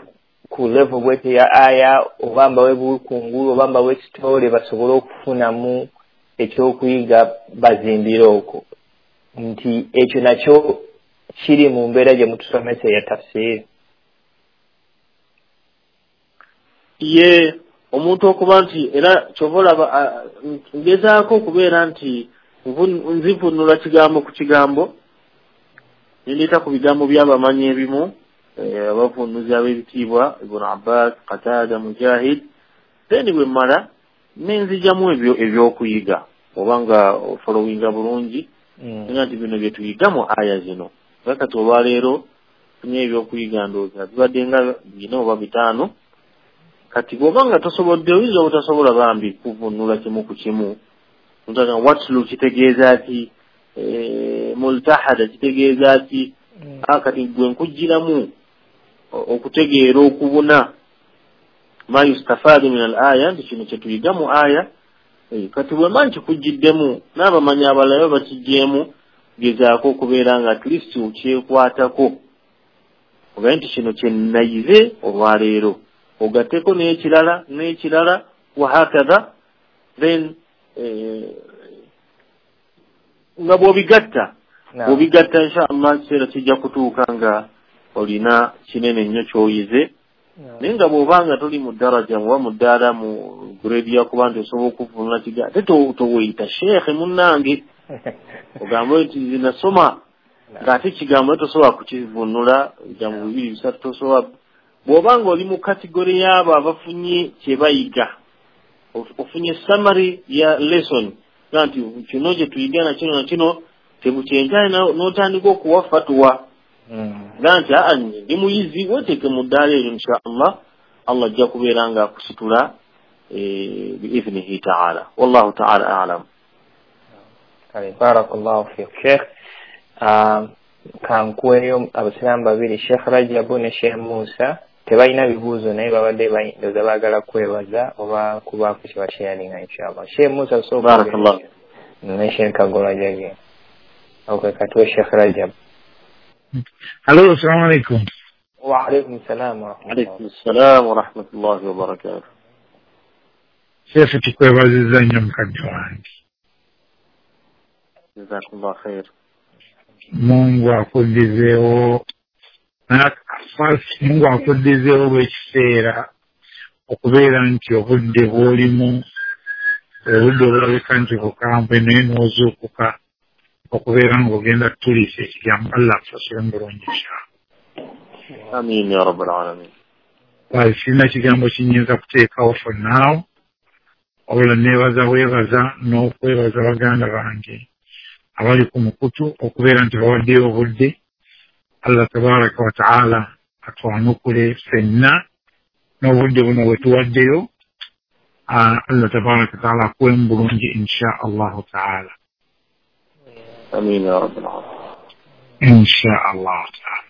ku level bwete ya aya oba mbawe bukungulu oba mbawe story basobole okufunamu ekyokuyiga bazimbire okwo, nti ekyo nakyo kiri mu mbeera gye mutusomesa eya tafsiri. Ye omuntu okuba nti era kyova olaba ngezaako okubeera nti nzivunula kigambo ku kigambo, nendeeta ku bigambo by'abamanyi ebimu abavunuzi ab'ebitiibwa Ibn Abbas, Qatada, Mujahid, then bwe mmala nenzijjamu ebyo ebyokuyiga oba nga ofollowinga bulungi nga nti bino bye tuyiga mu aya zino. Kati olwaleero funye ebyokuyiga ndowooza bibadde nga 4 oba 5. Kati bw'oba nga tosobodde oyinza obutasobola bambi kuvunula kimu ku kimu. Watlu kitegeeza ki, multahada kitegeeza ki, kati gwe nkugiramu okutegeera okubuna ma yustafadu min al-aya, nti kino kye tuyiga mu aya. Kati bwe mba nkikugiddemu n'abamanyi abalala bakiggyemu, gezaako okubeera nga at least okyekwatako ogaye nti kino kye nayize olwaleero, ogatteko n'ekirala n'ekirala wahakadha, then nga bw'obigatta bw'obigatta inshallah kiseera kijja kutuuka nga olina kinene nnyo ky'oyize. Naye nga bw'oba nga toli mu daraja oba mu ddaala mu grade ya kuba nti osobola okuvunula kigambo, ate toweyita sheekhe munnange ogambe nti zinasoma ng'ate ekigambo tosobola kukivunula ebigambo 2 3 tosobola. Bw'oba nga oli mu kategori y'abo abafunye kye bayiga, ofunye summary ya lesson nga nti kino kye tuyiga na kino na kino tebukyenkane n'otandika okuwa fatuwa nga nti aa ndi muyizi, weteeke mu ddaala eryo insha Allah, Allah ajja kubeera nga akusitula biidhnihi taala. Wallahu taala alam. Kale barakallahu fiik Sheikh. Kankuweeyo abasiraamu babiri, Sheikh Rajabu ne Sheikh Musa. Tebalina bibuuzo naye babadde ndowooza baagala kwebaza oba kubaako kye basharinga inshallah. Sheikh Musa barakallahu ne Sheikh Kagola Jage. Okay, katuwe Sheikh Rajab. Hello, assalamu alaikum. Wa alaikum salam wa rahmatullahi. Alaikum salam wa rahmatullahi wa barakatuh. Sheikh tukwebazizza nnyo mukadde wange. Jazakumullah khair. Mungu akuddizeewo, Mungu akuddizeewo olw'ekiseera okubeera nti obudde bw'olimu obudde obulabika nti bukambwe naye n'ozuukuka okubeera ng'ogenda kutuliisa ekigambo. Allah akusasule mu bulungi inshallah. Amin ya rabbal alamin. Sirina kigambo kinyinza kuteekawo for now, wabula neebaza bwebaza n'okwebaza baganda bange abali ku mukutu okubeera nti bawaddeyo obudde, Allah tabaraka wa taala atwanukule ffenna n'obudde buno bwe tuwaddeyo. Allah tabaraka wa taala akuwemu bulungi insha Allahu taala. Amin ya rabbil alamin. Insha Allahu taala.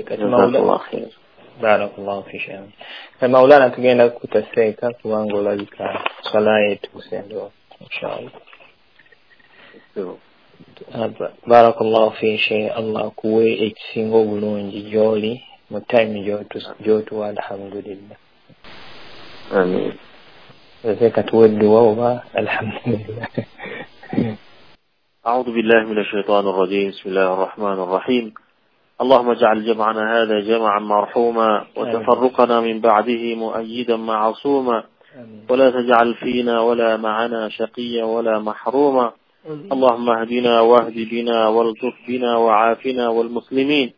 Jazakallah khair. Barakallahu fi shay'in. Maulana tugenda kutaseeka kubanga olabika swala yetuuse ndo inshallah. Barakallahu fi shay, Allah akuwe ekisinga obulungi gy'oli mu time gy'otuwa alhamdulillah. Amin. Seeka tuwe edduwa oba alhamdulillah. أعوذ بالله من الشيطان الرجيم. بسم الله الرحمن الرحيم. اللهم اجعل جمعنا هذا جمعا مرحوما، وتفرقنا من بعده مؤيدا معصوما، ولا تجعل فينا ولا معنا شقيا ولا محروما. اللهم اهدنا واهد بنا والطف بنا وعافنا والمسلمين.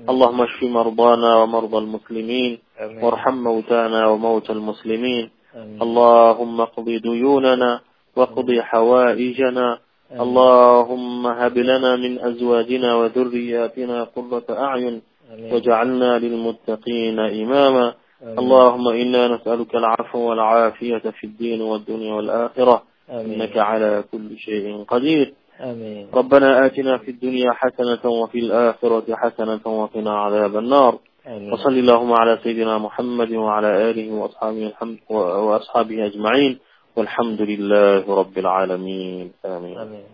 اللهم اشف مرضانا ومرضى المسلمين، وارحم موتانا وموتى المسلمين. اللهم اقض ديوننا واقض حوائجنا. اللهم هب لنا من أزواجنا وذرياتنا قرة أعين واجعلنا للمتقين إماما. اللهم إنا نسألك العفو والعافية في الدين والدنيا والآخرة، إنك على كل شيء قدير. آمين. ربنا آتنا في الدنيا حسنة وفي الآخرة حسنة وقنا عذاب النار. آمين. وصل اللهم على سيدنا محمد وعلى آله وأصحابه أجمعين، والحمد لله رب العالمين. آمين. آمين.